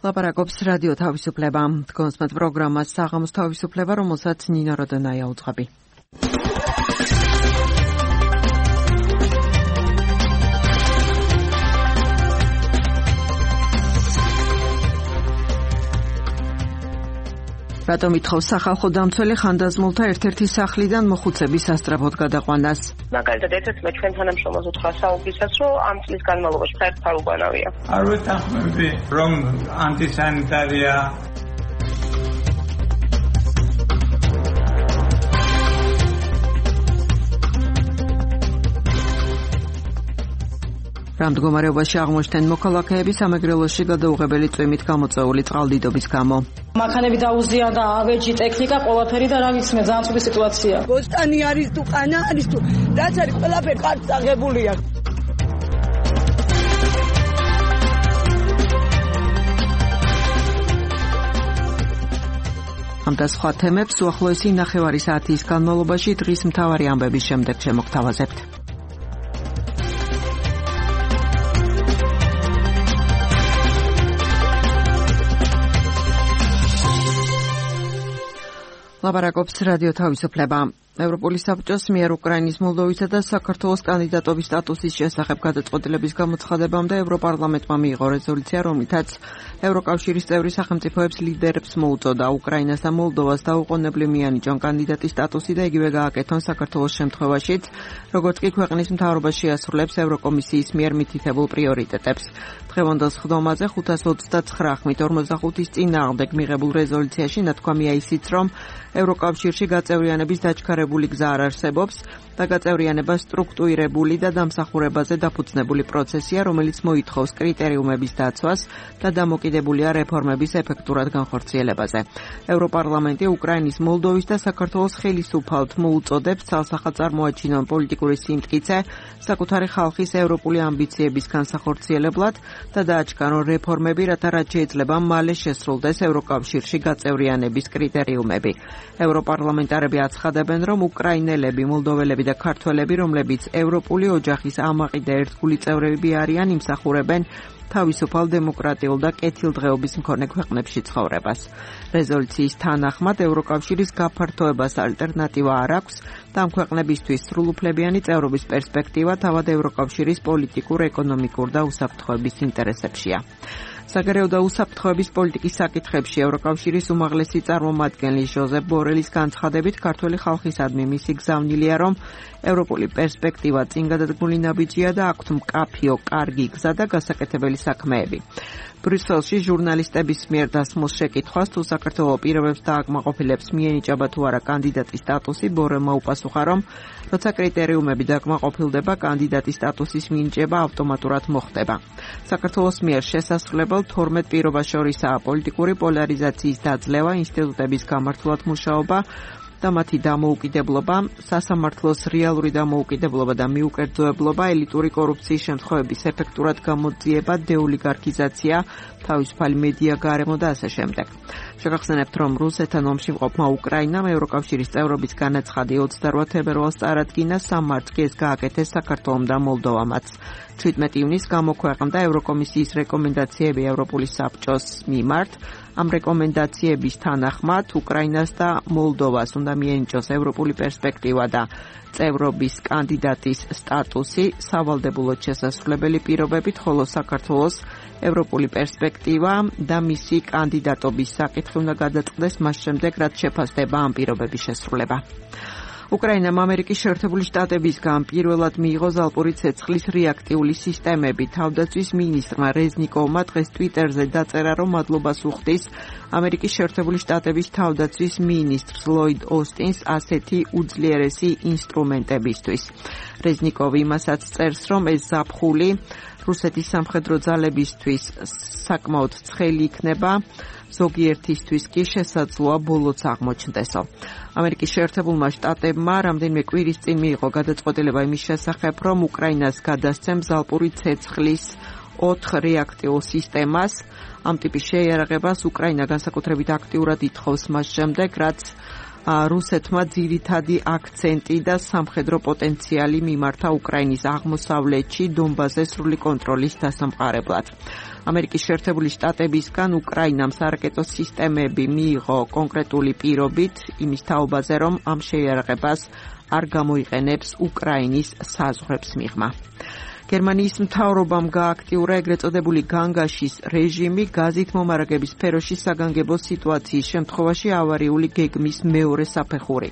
ლაპარაკობს რადიო თავისუფლება. კონსმეთ პროგრამას საღამოს თავისუფლება, რომელსაც ნინო როდონაია უძღვები. რატომ ითხოვს სახალხო დამცველი ხანდაზმულთა ერთ-ერთი სახლიდან მოხუცების სასწრაფოდ გადაყვანას? მაგალითად, ერთ-ერთმა ჩვენ თანამშრომელს უთხრა საუბრისას, რომ ამ წლის განმავლობაში საერთოდ არ უგანავია. არ ვეთანხმები, რომ ანტისანიტარია. რა მდგომარეობაში აღმოჩნდნენ მოქალაქეები სამეგრელოში გადაუღებელი წვიმით გამოწვეული წყალდიდობის გამო? მანქანები დაუზიანდა, ავეჯი, ტექნიკა, ყველაფერი და რა ვიცმე, ძალიან ცუდი სიტუაცია. ბოსტანი არის თუ ყანა არის თუ რაც არის ყველაფერი კარგ აღებულია. ამ და სხვა თემებს უახლოესი 9 საათის განმავლობაში დღის მთავარი ამბების შემდეგ შემოგთავაზებთ. ლაპარაკობს რადიო თავისუფლება. ევროპული საბჭოს მიერ უკრაინის, მოლდოვისა და საქართველოს კანდიდატობის სტატუსის შესახებ გადაწყვეტილების გამოცხადებამდე ევროპარლამენტმა მიიღო რეზოლუცია, რომლითაც ევროკავშირის წევრი სახელმწიფოებს ლიდერებს მოუწოდა უკრაინას და მოლდოვას დაუყოვნებლივ მიანიჭონ კანდიდატის სტატუსი და იგივე გააკეთონ საქართველოს შემთხვევაშიც, როგორც კი ქვეყნის მთავრობა შეასრულებს ევროკომისიის მიერ მითითებულ პრიორიტეტებს. დღევანდელ სხდომაზე 529 ხმით 45-ის წინააღმდეგ მიღებულ რეზოლუციაში ნათქვამია ისიც, რომ ევროკავშირში გაწევრიანების დაჩქარებული გზა არ არსებობს და გაწევრიანება სტრუქტურირებული და დამსახურებაზე დაფუძნებული პროცესია, რომელიც მოითხოვს კრიტერიუმების დაცვას და დამოკიდებულია რეფორმების ეფექტურად განხორციელებაზე. ევროპარლამენტი უკრაინის, მოლდოვის და საქართველოს ხელისუფალთ მოუწოდებს ცალსახად წარმოაჩინონ პოლიტიკური სიმტკიცე საკუთარი ხალხის ევროპული ამბიციების განსახორციელებლად და დააჩქარონ რეფორმები, რათა რაც შეიძლება მალე შესრულდეს ევროკავშირში გაწევრიანების კრიტერიუმები. ევროპარლამენტარები აცხადებენ, რომ უკრაინელები, მოლდოველები და ქართველები, რომლებიც ევროპული ოჯახის ამაყი და ერთგული წევრები არიან, იმსახურებენ თავისუფალ დემოკრატიულ და კეთილდღეობის მქონე ქვეყნებში ცხოვრებას. რეზოლუციის თანახმად ევროკავშირის გაფართოებას ალტერნატივა არ აქვს და ამ ქვეყნებისთვის სრულუფლებიანი წევრობის პერსპექტივა თავად ევროკავშირის პოლიტიკურ, ეკონომიკურ და უსაფრთხოების ინტერესებშია. საგარეო და უსაფრთხოების პოლიტიკის საკითხებში ევროკავშირის უმაღლესი წარმომადგენლის ჟოზეფ ბორელის განცხადებით, ქართველი ხალხისადმი მისი გზავნილია, რომ ევროპული პერსპექტივა წინ გადადგმული ნაბიჯია და აქვთ მკაფიო, კარგი გზა და გასაკეთებელი საქმეები. ბრიუსელში ჟურნალისტების მიერ დასმულ შეკითხვას, თუ საქართველოს პირობებს დააკმაყოფილებს მიენიჭება თუ არა კანდიდატის სტატუსი, ბორელმა უპასუხა, რომ როცა კრიტერიუმები დააკმაყოფილდება, კანდიდატის სტატუსის მინიჭება ავტომატურად მოხდება. საქართველოს მიერ შესასრულებელ 12 პირობას შორისაა პოლიტიკური პოლარიზაციის დაძლევა, ინსტიტუტების გამართულად მუშაობა და მათი დამოუკიდებლობა, სასამართლოს რეალური დამოუკიდებლობა და მიუკერძოებლობა, ელიტური კორუფციის შემთხვევების ეფექტურად გამოძიება, დეოლიგარქიზაცია, თავისუფალი მედია გარემო და ასე შემდეგ. შეგახსენებთ, რომ რუსეთთან ომში მყოფმა უკრაინამ ევროკავშირის წევრობის განაცხადი 28 თებერვალს წარადგინა, 3 მარტს კი ეს გააკეთეს საქართველომ და მოლდოვამაც. 17 ივნისს გამოქვეყნდა ევროკომისიის რეკომენდაციები ევროპული საბჭოს მიმართ. ამ რეკომენდაციების თანახმად უკრაინას და მოლდოვას უნდა მიენიჭოს ევროპული პერსპექტივა და წევრობის კანდიდატის სტატუსი სავალდებულოდ შესასრულებელი პირობებით, ხოლო საქართველოს ევროპული პერსპექტივა და მისი კანდიდატობის საკითხი უნდა გადაწყდეს მას შემდეგ, რაც შეფასდება ამ პირობების შესრულება. უკრაინამ ამერიკის შეერთებული შტატებისგან პირველად მიიღო ზალპური ცეცხლის რეაქტიული სისტემები. თავდაცვის მინისტრმა რეზნიკოვმა დღეს ტვიტერზე დაწერა, რომ მადლობას უხდის ამერიკის შეერთებული შტატების თავდაცვის მინისტრს ლოიდ ოსტინს ასეთი უძლიერესი ინსტრუმენტებისთვის. რეზნიკოვი იმასაც წერს, რომ ეს ზაფხული რუსეთის სამხედრო ძალებისთვის საკმაოდ ცხელი იქნება, ზოგიერთისთვის კი შესაძლოა ბოლოც აღმოჩნდესო. ამერიკის შეერთებულმა შტატებმა რამდენიმე კვირის წინ მიიღო გადაწყვეტილება იმის შესახებ, რომ უკრაინას გადასცემს ზალპური ცეცხლის 4 რეაქტიულ სისტემას. ამ ტიპის შეიარაღებას უკრაინა განსაკუთრებით აქტიურად ითხოვს მას შემდეგ, რაც რუსეთმა ძირითადი აქცენტი და სამხედრო პოტენციალი მიმართა უკრაინის აღმოსავლეთში დონბასზე სრული კონტროლის დასამყარებლად. ამერიკის შეერთებული შტატებისგან უკრაინამ სარაკეტო სისტემები მიიღო კონკრეტული პირობით იმის თაობაზე, რომ ამ შეიარაღებას არ გამოიყენებს უკრაინის საზღვრებს მიღმა. გერმანიის მთავრობამ გააქტიურა ეგრეთ წოდებული განგაშის რეჟიმი გაზით მომარაგების სფეროში საგანგებო სიტუაციის შემთხვევაში ავარიული გეგმის მეორე საფეხური.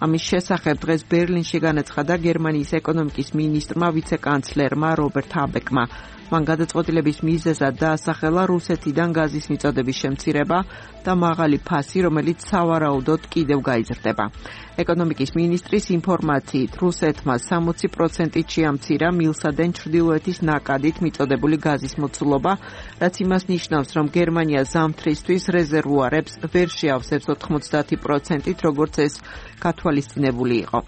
ამის შესახებ დღეს ბერლინში განაცხადა გერმანიის ეკონომიკის მინისტრმა ვიცე-კანცლერმა რობერტ ჰაბეკმა. მან გადაწყვეტილების მიზეზად დაასახელა რუსეთიდან გაზის მიწოდების შემცირება და მაღალი ფასი, რომელიც სავარაუდოდ კიდევ გაიზრდება. ეკონომიკის მინისტრის ინფორმაციით, რუსეთმა 60%-ით შეამცირა მილსადენ ჩრდილოეთის ნაკადით მიწოდებული გაზის მოცულობა, რაც იმას ნიშნავს, რომ გერმანია ზამთრისთვის რეზერვუარებს ვერ შეავსებს 90%-ით, როგორც ეს გათვალისწინებული იყო.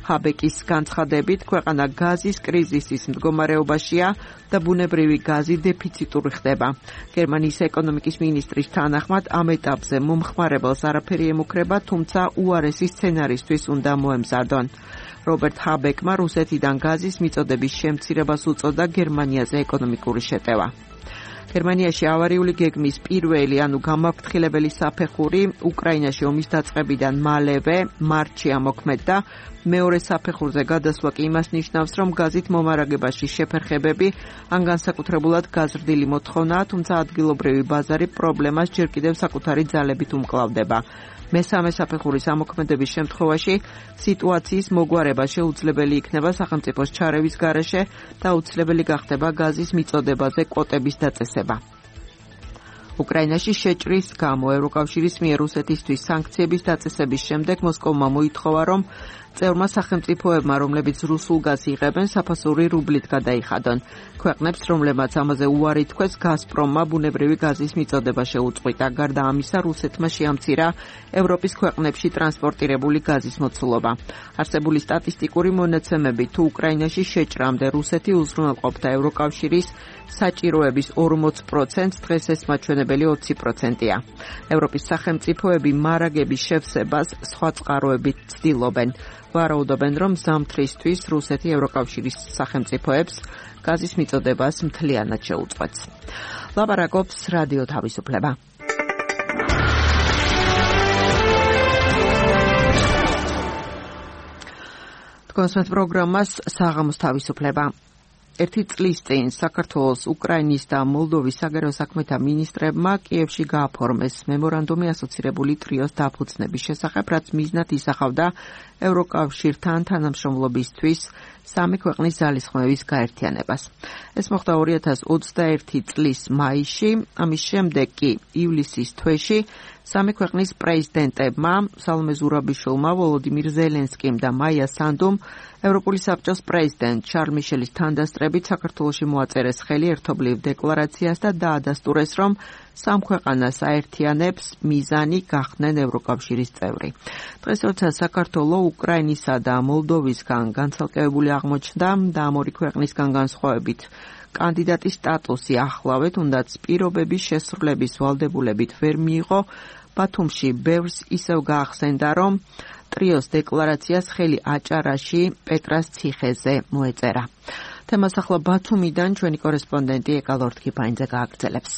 ჰაბეკის განცხადებით, ქვეყანა გაზის კრიზისის მდგომარეობაშია და ბუნებრივი გაზი დეფიციტური ხდება. გერმანიის ეკონომიკის მინისტრის თანახმად ამ ეტაპზე მომხმარებელს არაფერი ემუქრება, თუმცა უარესი სცენარისთვის უნდა მოემზადონ. რობერტ ჰაბეკმა რუსეთიდან გაზის მიწოდების შემცირებას უწოდა გერმანიაზე ეკონომიკური შეტევა. გერმანიაში ავარიული გეგმის პირველი, ანუ გამაფრთხილებელი საფეხური უკრაინაში ომის დაწყებიდან მალევე მარტში ამოქმედდა. მეორე საფეხურზე გადასვლა კი იმას ნიშნავს, რომ გაზით მომარაგებაში შეფერხებები ან განსაკუთრებულად გაზრდილი მოთხოვნაა, თუმცა ადგილობრივი ბაზარი პრობლემას ჯერ კიდევ საკუთარი ძალებით უმკლავდება. მესამე საფეხურის ამოქმედების შემთხვევაში სიტუაციის მოგვარება შეუძლებელი იქნება სახელმწიფოს ჩარევის გარეშე და აუცილებელი გახდება გაზის მიწოდებაზე კვოტების დაწესება. უკრაინაში შეჭრის გამო ევროკავშირის მიერ რუსეთისთვის სანქციების დაწესების შემდეგ მოსკოვმა მოითხოვა, რომ წევრმა სახელმწიფოებმა, რომლებიც რუსულ გაზს იღებენ, საფასური რუბლით გადაიხადონ. ქვეყნებს, რომლებმაც ამაზე უარი თქვეს, გაზპრომმა ბუნებრივი გაზის მიწოდება შეუწყვიტა. გარდა ამისა, რუსეთმა შეამცირა ევროპის ქვეყნებში ტრანსპორტირებული გაზის მოცულობა. არსებული სტატისტიკური მონაცემებით, თუ უკრაინაში შეჭრამდე რუსეთი უზრუნველყოფდა ევროკავშირის საჭიროების 40%, დღეს ეს მაჩვენებელი 20%-ია. ევროპის სახელმწიფოები მარაგების შევსებას სხვა წყაროებით ცდილობენ. ვარაუდობენ, რომ ზამთრისთვის რუსეთი ევროკავშირის სახელმწიფოებს გაზის მიწოდებას მთლიანად შეუწყვეტს. ლაპარაკობს რადიო თავისუფლება. თქვენს პროგრამას საღამოს თავისუფლება. ერთი წლის წინ საქართველოს, უკრაინის და მოლდოვის საგარეო საქმეთა მინისტრებმა კიევში გააფორმეს მემორანდუმი ასოცირებული ტრიოს დაფუძნების შესახებ, რაც მიზნად ისახავდა ევროკავშირთან თანამშრომლობისთვის სამი ქვეყნის ძალისხმევის გაერთიანებას. ეს მოხდა 2021 წლის მაისში, ამის შემდეგ კი ივლისის თვეში სამი ქვეყნის პრეზიდენტებმა, სალომე ზურაბიშვილმა, ვოლოდიმირ ზელენსკიმ და მაია სანდუმ, ევროპული საბჭოს პრეზიდენტ შარლ მიშელის თანდასწრებით საქართველოში მოაწერეს ხელი ერთობლივ დეკლარაციას და დაადასტურეს, რომ სამ ქვეყანას აერთიანებს მიზანი გახდნენ ევროკავშირის წევრი. დღეს, როცა საქართველო უკრაინისა და მოლდოვისგან განცალკევებული აღმოჩნდა და ამ ორი ქვეყნისგან განსხვავებით კანდიდატის სტატუსი ახლავე, თუნდაც პირობების შესრულების ვალდებულებით ვერ მიიღო, ბათუმში ბევრს ისევ გაახსენდა, რომ ტრიოს დეკლარაციას ხელი აჭარაში პეტრას ციხეზე მოეწერა. თემას ახლა ბათუმიდან ჩვენი კორესპონდენტი ეკა ლორთქიფაინძე გააგრძელებს.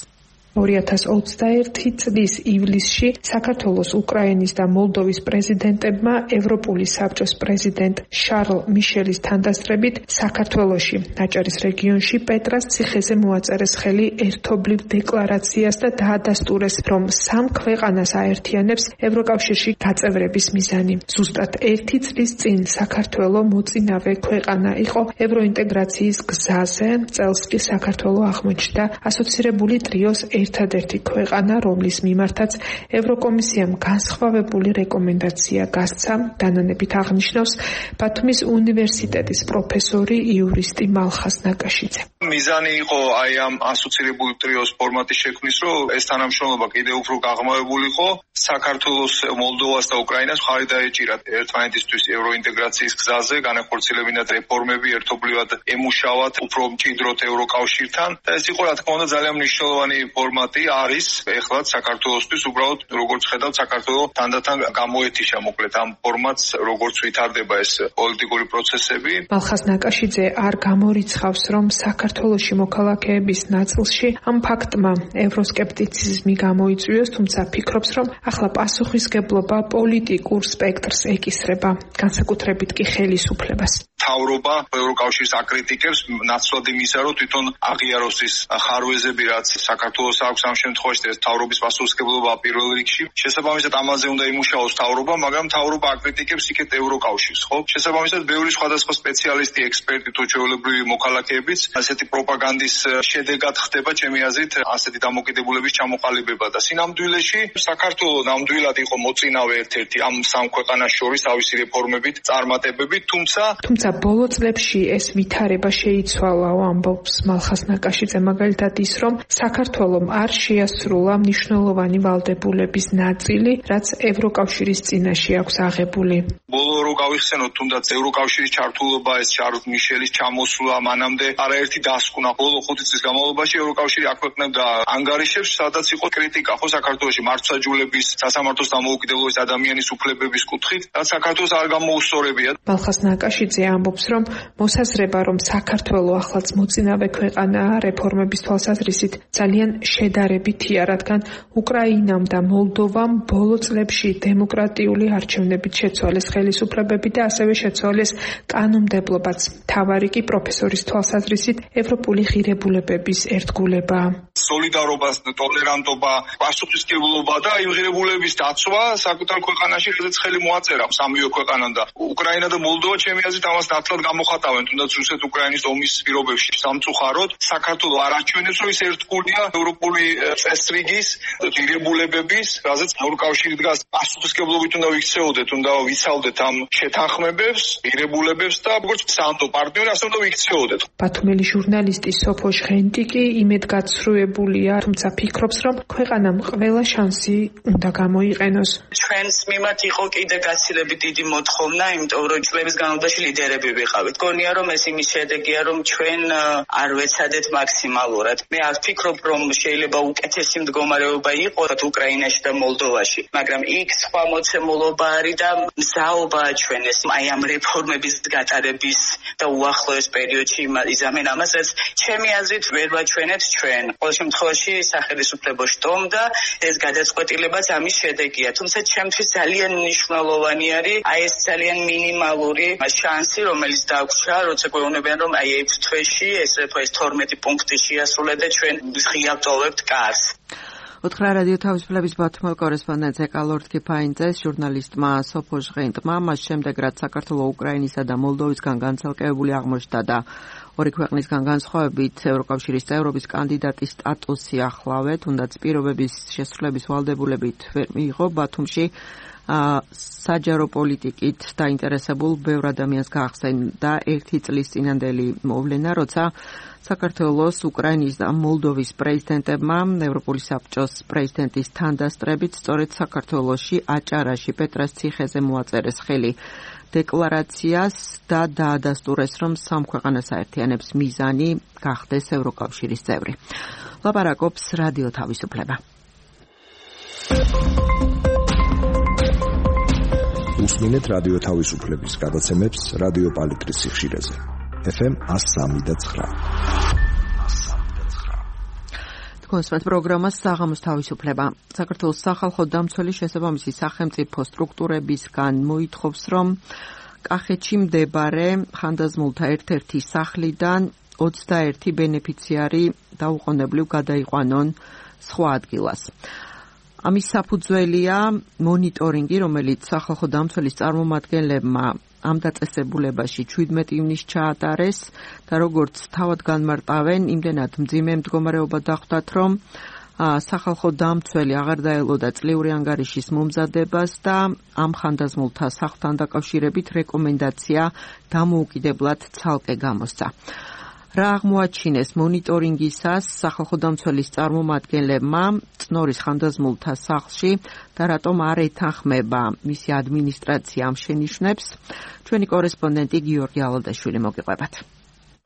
2021 წლის ივლისში საქართველოს, უკრაინის და მოლდოვის პრეზიდენტებმა ევროპული საბჭოს პრეზიდენტ შარლ მიშელის თანდასწრებით საქართველოში, აჭარის რეგიონში პეტრას ციხეზე მოაწერეს ხელი ერთობლივ დეკლარაციას და დაადასტურეს, რომ სამ ქვეყანას აერთიანებს ევროკავშირში გაწევრების მიზანი. ზუსტად ერთი წლის წინ საქართველო მოწინავე ქვეყანა იყო ევროინტეგრაციის გზაზე. წელს კი საქართველო აღმოჩნდა ასოცირებული ტრიოს ერთადერთი ქვეყანა, რომლის მიმართაც ევროკომისიამ განსხვავებული რეკომენდაცია გასცა, დანანებით აღნიშნავს ბათუმის უნივერსიტეტის პროფესორი იურისტი მალხაზ ნაკაშიძე. მიზანი იყო აი ამ ასოცირებული ტრიოს ფორმატის შექმნის, რომ ეს თანამშრომლობა კიდევ უფრო გაღრმავებულიყო, საქართველოს, მოლდოვას და უკრაინას მხარი დაეჭირათ ერთმანეთისთვის ევროინტეგრაციის გზაზე, განახორციელებინათ რეფორმები, ერთობლივად ემუშავათ, უფრო მჭიდროდ ევროკავშირთან და ეს იყო, რა თქმა უნდა, ძალიან მნიშვნელოვანი ფორმატი არის ეხლა საქართველოსთვის უბრალოდ როგორც ხედავთ საქართველოს თანდათან გამოეთიშა მოკლედ ამ ფორმატს როგორც ვითარდება ეს პოლიტიკური პროცესები. მალხაზ ნაკაშიძე არ გამორიცხავს, რომ საქართველოში მოქალაქეების ნაწილში ამ ფაქტმა ევროსკეპტიციზმი გამოიწვიოს, თუმცა ფიქრობს, რომ ახლა პასუხისგებლობა პოლიტიკურ სპექტრს ეკისრება, განსაკუთრებით კი ხელისუფლებას. თავრობა ევროკავშირს აკრიტიკებს ნაცვლად იმისა, რომ თვითონ აღიაროს ის ხარვეზები, რაც საქართველოს აქვს ამ შემთხვევაში ეს თავრობის პასუხისგებლობა პირველ რიგში. შესაბამისად ამაზე უნდა იმუშაოს თავრობა, მაგრამ თავრობა აკრიტიკებს იქეთ ევროკავშირს, ხო? შესაბამისად ბევრი სხვადასხვა სპეციალისტი, ექსპერტი თუ ჩვეულებრივი მოქალაქეებიც ასეთი პროპაგანდის შედეგად ხდება ჩემი აზრით ასეთი დამოკიდებულების ჩამოყალიბება და სინამდვილეში საქართველოს ნამდვილად იყო მოწინავე ერთ-ერთი ამ სამ ქვეყანას შორის თავისი რეფორმებით, წარმატებებით, თუმცა ბოლო წლებში ეს ვითარება შეიცვალა, ამბობს მალხაზ ნაკაშიძე, მაგალითად ის, რომ საქართველომ არ შეასრულა მნიშვნელოვანი ვალდებულების ნაწილი, რაც ევროკავშირის წინაშე აქვს აღებული. ბოლო რო გავიხსენოთ, თუნდაც ევროკავშირის ჩართულობა, ეს შარლ მიშელის ჩამოსვლა, მანამდე არაერთი დასკვნა ბოლო 5 წლის განმავლობაში ევროკავშირი აქვეყნებდა ანგარიშებს, სადაც იყო კრიტიკა ხო საქართველოში მართლმსაჯულების, სასამართლოს დამოუკიდებლობის, ადამიანის უფლებების კუთხით, რაც საქართველოს არ გამოუსწორებია. მალხაზ ნაკაშიძე ამბობს, რომ მოსაზრება, რომ საქართველო ახლაც მოწინავე ქვეყანაა რეფორმების თვალსაზრისით ძალიან შედარებითია, რადგან უკრაინამ და მოლდოვამ ბოლო წლებში დემოკრატიული არჩევნებით შეცვალეს ხელისუფლებები და ასევე შეცვალეს კანონმდებლობაც. მთავარი კი პროფესორის თვალსაზრისით ევროპული ღირებულებების ერთგულება. სოლიდარობა, ტოლერანტობა, პასუხისმგებლობა და იმ ღირებულების დაცვა საკუთარ ქვეყანაში, რადგან ხელი მოაწერა სამივე ქვეყანამ და უკრაინა და მოლდოვა ჩემი აზრით ამას ნათლად გამოხატავენ, თუნდაც რუსეთ-უკრაინის ომის პირობებში სამწუხაროდ საქართველოს არ აჩვენებს, რომ ის ერთგულია ევროპული წესრიგის ღირებულებების, რაზეც ევროკავშირი დგას. პასუხისმგებლობით უნდა ვიქცეოდეთ, უნდა ვიცავდეთ ამ შეთანხმებებს, ღირებულებებს და როგორც სანდო პარტნიორი ასე უნდა ვიქცეოდეთ. ბათუმელი ჟურნალისტი სოფო ჟღენტი კი იმედგაცრუებულია, თუმცა ფიქრობს, რომ ქვეყანამ ყველა შანსი უნდა გამოიყენოს. ჩვენს მიმართ იყო კიდე გაცილებით დიდი მოთხოვნა, იმიტომ რომ წლების განმავლობაში ლიდერები ვიყავით. გონია რომ ეს იმის შედეგია, რომ ჩვენ არ ვეცადეთ მაქსიმალურად. მე არ ვფიქრობ, რომ შეიძლება უკეთესი მდგომარეობა იყოს უკრაინაში და მოლდოვაში, მაგრამ იქ სხვა მოცემულობა არის და მზაობაა ჩვენ ეს აი ამ რეფორმების გატარების და უახლოეს პერიოდში იზამენ ამასაც ჩემი აზრით ვერ ვაჩვენებთ ჩვენ. ყოველ შემთხვევაში სახელმწიფო შტომ და ეს გადაწყვეტილებაც ამის შედეგია. თუმცა ჩემთვის ძალიან მნიშვნელოვანი არის აი ეს ძალიან მინიმალური შანსი, რომელიც დაგვრჩა, როცა გვეუბნებიან, რომ აი 6 თვეში ეს 12 პუნქტი შეასრულა და ჩვენ ღია ვტოვებთ კარს. უთხრა რადიო თავისუფლების ბათუმელ კორესპონდენტს ეკალორდ კიფაინძეს, ჟურნალისტმა სოფო ჟღენტმა, მას შემდეგ რაც საქართველოს, უკრაინისა და მოლდოვისგან განცალკევებული აღმოჩნდა და ორი ქვეყნისგან განსხვავებით ევროკავშირის წევრობის კანდიდატის სტატუსი ახლავე, თუნდაც პირობების შესრულების ვალდებულებით ვერ მიიღო, ბათუმში საჯარო პოლიტიკით დაინტერესებულ ბევრ ადამიანს გაახსენდა 1 წლის წინანდელი მოვლენა, როცა საქართველოს, უკრაინის და მოლდოვის პრეზიდენტებმა ევროპული საბჭოს პრეზიდენტის თანდასწრებით სწორედ საქართველოში აჭარაში პეტრას ციხეზე მოაწერეს ხელი დეკლარაციას და დაადასტურეს, რომ სამ ქვეყანას აერთიანებს მიზანი გახდეს ევროკავშირის წევრი. ლაპარაკობს რადიო თავისუფლება. უსმინეთ რადიო თავისუფლების გადაცემებს რადიო პალიტრის სიხშირეზე. FM 103.9. კონსპект პროგრამას საღამოს თავისუფლება. საქართველოს სახალხო დამცველი შესაბამისი სახელმწიფო სტრუქტურებისგან მოითხოვს, რომ კახეთში მდებარე ხანდაზმულთა ერთ-ერთი სახლიდან 21 ბენეფიციარი დაუყოვნებლივ გადაიყვანონ სხვა ადგილას. ამის საფუძველია მონიტორინგი, რომელიც სახალხო დამცველის წარმომადგენლებმა ამ დაწესებულებაში 17 ივნისს ჩაატარეს და როგორც თავად განმარტავენ, იმდენად მძიმე მდგომარეობა დახვდათ, რომ სახალხო დამცველი აღარ დაელოდა წლიური ანგარიშის მომზადებას და ამ ხანდაზმულთა სახლთან დაკავშირებით რეკომენდაცია დამოუკიდებლად ცალკე გამოსცა. რა აღმოაჩინეს მონიტორინგისას სახალხო დამცველის წარმომადგენლებმა წნორის ხანდაზმულთა სახლში და რატომ არ ეთანხმება მისი ადმინისტრაცია ამ შენიშვნებს, ჩვენი კორესპონდენტი გიორგი ალადაშვილი მოგიყვებათ.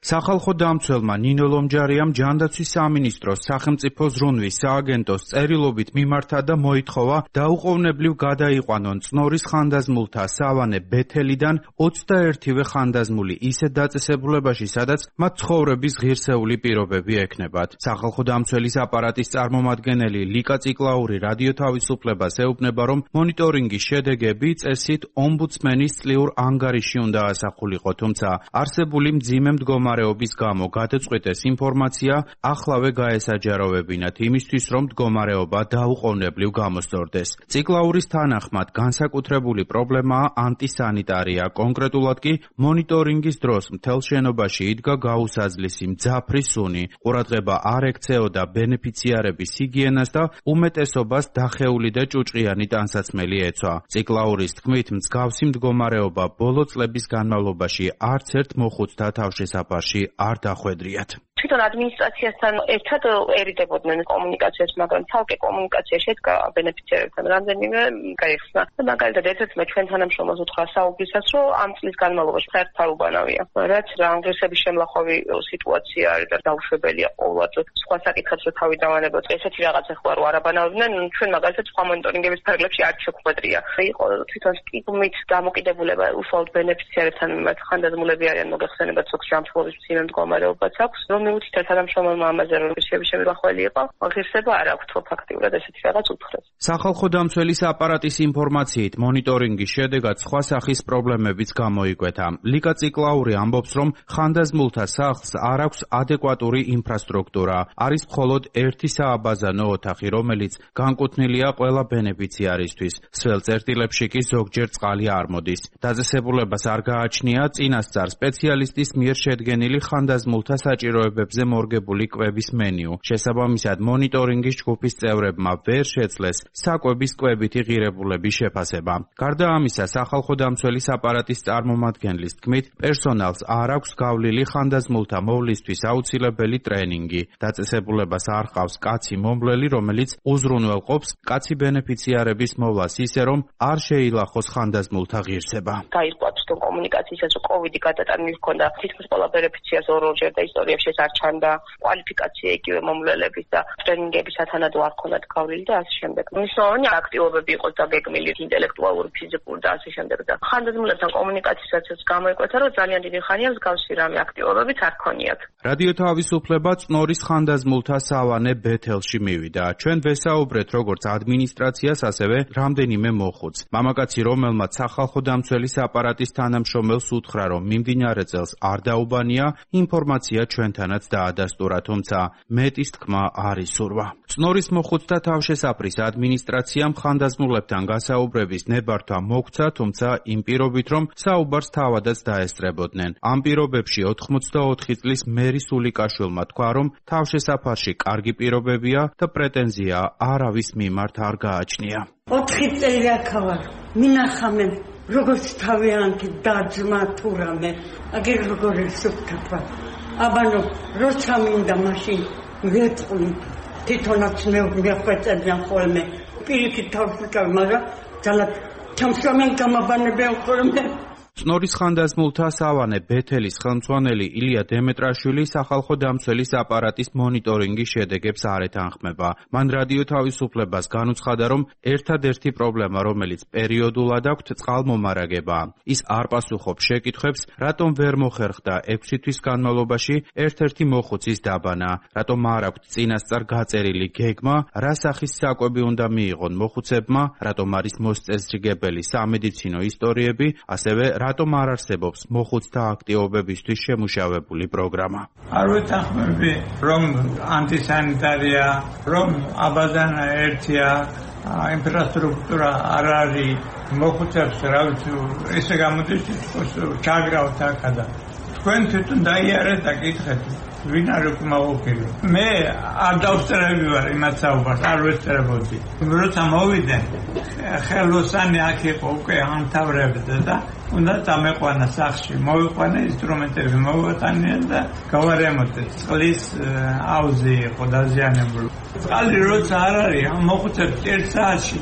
სახალხო დამცველმა ნინო ლომჯარიამ ჯანდაცვის სამინისტროს სახელმწიფო ზრუნვის სააგენტოს წერილობით მიმართა და მოითხოვა დაუყოვნებლივ გადაიყვანონ წნორის ხანდაზმულთა სავანე ბეთელიდან 21-ვე ხანდაზმული ისეთ დაწესებულებაში, სადაც მათ ცხოვრების ღირსეული პირობები ექნებათ. სახალხო დამცველის აპარატის წარმომადგენელი ლიკა ციკლაური რადიო თავისუფლებას ეუბნება, რომ მონიტორინგის შედეგები წესით ომბუდსმენის წლიურ ანგარიში უნდა ასახულიყო, თუმცა არსებული მძიმე მდგომარეობის გამო გადაწყვეტეს ინფორმაცია ახლავე გაესაჯაროვებინათ იმისთვის, რომ მდგომარეობა დაუყოვნებლივ გამოსწორდეს. ციკლაურის თანახმად განსაკუთრებული პრობლემაა ანტისანიტარია, კონკრეტულად კი მონიტორინგის დროს მთელ შენობაში იდგა გაუსაძლისი მძაფრი სუნი, ყურადღება არ ექცეოდა ბენეფიციარების ჰიგიენას და უმეტესობას დახეული და ჭუჭყიანი ტანსაცმელი ეცვა. ციკლაურის თქმით, მსგავსი მდგომარეობა ბოლო წლების განმავლობაში არც ერთ მოხუცთა თავშესაფარში არ დახვედრიათ. თვითონ ადმინისტრაციასთან ერთად ერიდებოდნენ კომუნიკაციას, მაგრამ თალკე კომუნიკაცია შედგა ბენეფიციარებთან რამდენიმე გაიხსნა. მაგალითად, ერთ-ერთმა ჩვენ თანამშრომელს უთხრა საუბრისას, რომ ამ წლის განმავლობაში საერთოდ უბანავია. რაც რანგრესების შემლახვევი სიტუაცია არის და დაუშვებელია ყოველდღე. სხვა საკითხებს რო თავი დავანებოთ, ესეთი რაღაცა ხო არ აბანავდნენ, ჩვენ მაგალითად სხვა მონიტორინგების ფარგლებში არ შეგვხვედრია. იყო თვითონ სტიგმით დამოკიდებულება უშუალოდ ბენეფიციარებთან მიმართ ხანდაზმულები არიან მოგეხსენებათ ზოგ ჯანმრთელობის მძიმე მდგომარეობაც აქვს. მიუთითებს თანამშრომელმა ამაზე რომ შემიხველი იყო, ღირსება არ აქვს ფაქტიურად ესეთი რაღაც უთხრეს. სახალხო დამცველის აპარატის ინფორმაციით მონიტორინგის შედეგად სხვა სახის პრობლემებიც გამოიკვეთა. ლიკა ციკლაური ამბობს, რომ ხანდაზმულთა სახლს არ აქვს ადეკვატური ინფრასტრუქტურა. არის მხოლოდ ერთი სააბაზანო ოთახი, რომელიც განკუთვნილია ყველა ბენეფიციარისთვის. სველ წერტილებში კი ზოგჯერ წყალი არ მოდის. დაწესებულებას არ გააჩნია წინასწარ სპეციალისტის მიერ შედგენილი ხანდაზმულთა საჭიროებებზე მორგებული კვების მენიუ. შესაბამისად, მონიტორინგის ჯგუფის წევრებმა ვერ შეძლეს საკვების კვებითი ღირებულების შეფასება. გარდა ამისა, სახალხო დამცველის აპარატის წარმომადგენლის თქმით, პერსონალს არ აქვს გავლილი ხანდაზმულთა მოვლისთვის აუცილებელი ტრენინგი. დაწესებულებას არ ჰყავს კაცი მომვლელი, რომელიც უზრუნველყოფს კაცი ბენეფიციარების მოვლას ისე, რომ არ შეილახოს ხანდაზმულთა ღირსება. გაირკვათ თვითონ კომუნიკაციისას, რომ კოვიდი გადატანილი ჰქონდა თითქმის ყველა ბენეფიციარს ორ-ორჯერ და ისტორიებში არ ჩანდა კვალიფიკაცია იგივე მომვლელების და ტრენინგების სათანადო არ ჰქონდათ გავლილი და ასე შემდეგ. მნიშვნელოვანი აქტივობები იყოს დაგეგმილი ინტელექტუალური, ფიზიკური და ასე შემდეგ. და ხანდაზმულებთან კომუნიკაციისასაც გამოიკვეთა, რომ ძალიან დიდი ხანია მსგავსი რამე აქტივობებიც არ ქონიათ. რადიო თავისუფლება წნორის ხანდაზმულთა სავანე ბეთელში მივიდა. ჩვენ ვესაუბრეთ როგორც ადმინისტრაციას, ასევე რამდენიმე მოხუცს. მამაკაცი, რომელმაც სახალხო დამცველის აპარატის თანამშრომელს უთხრა, რომ მიმდინარე წელს არ დაუბანია, ინფორმაცია ჩვენთანაც დაადასტურა, თუმცა მეტის თქმა არ ისურვა. წნორის მოხუცთა თავშესაფრის ადმინისტრაციამ ხანდაზმულებთან გასაუბრების ნებართვა მოგცა, თუმცა იმ პირობით, რომ საუბარს თავადაც დაესწრებოდნენ. ამ პირობებში 84 წლის მერი სულიკაშვილმა თქვა, რომ თავშესაფარში კარგი პირობებია და პრეტენზია არავის მიმართ არ გააჩნია. 4 წელი აქავარ, მინახამენ როგორც თავიანთი დაძმა თუ რამე, აგერ როგორი სუფთაფა. აბანო, როცა მინდა მაშინ ვეწყვლი, თვითონაც მეხვეწებიან ხოლმე, პირიქით თავს ვიკავ, მაგრამ ძალად ჩამსვამენ გამაბანებიან ხოლმე. წნორის ხანდაზმულთა სავანე ბეთელის ხელმძღვანელი ილია დემეტრაშვილი სახალხო დამცველის აპარატის მონიტორინგის შედეგებს არ ეთანხმება. მან რადიო თავისუფლებას განუცხადა, რომ ერთადერთი პრობლემა, რომელიც პერიოდულად აქვთ, წყალმომარაგებაა. ის არ პასუხობს შეკითხვებს, რატომ ვერ მოხერხდა 6 თვის განმავლობაში ერთ-ერთი მოხუცის დაბანა, რატომ არ აქვთ წინასწარ გაწერილი გეგმა, რა სახის საკვები უნდა მიიღონ მოხუცებმა, რატომ არის მოსწესრიგებელი სამედიცინო ისტორიები, ასევე რატომ არ არსებობს მოხუცთა აქტივობებისთვის შემუშავებული პროგრამა. არ ვეთანხმები, რომ ანტისანიტარია, რომ აბაზანა ერთია, ინფრასტრუქტურა არ არის, მოხუცებს რა ვიცი, ესე გამოდის ჩაგრავთ აქადა. თქვენ თვითონ დაიარეთ და კითხეთ, ვინ არის უკმაყოფილი. მე არ დავსწრები ვარ იმათ საუბარს, არ ვესწრებოდი. როცა მოვიდნენ, ხელოსანი აქ იყო უკვე ამთავრებდა და უნდა დამეყვანა სახში, მოვიყვანა ინსტრუმენტები, მოვატანია და გავარემონტეთ. წყლის აუზი იყო დაზიანებული. წყალი როცა არ არის, მოხუცებს 1 საათში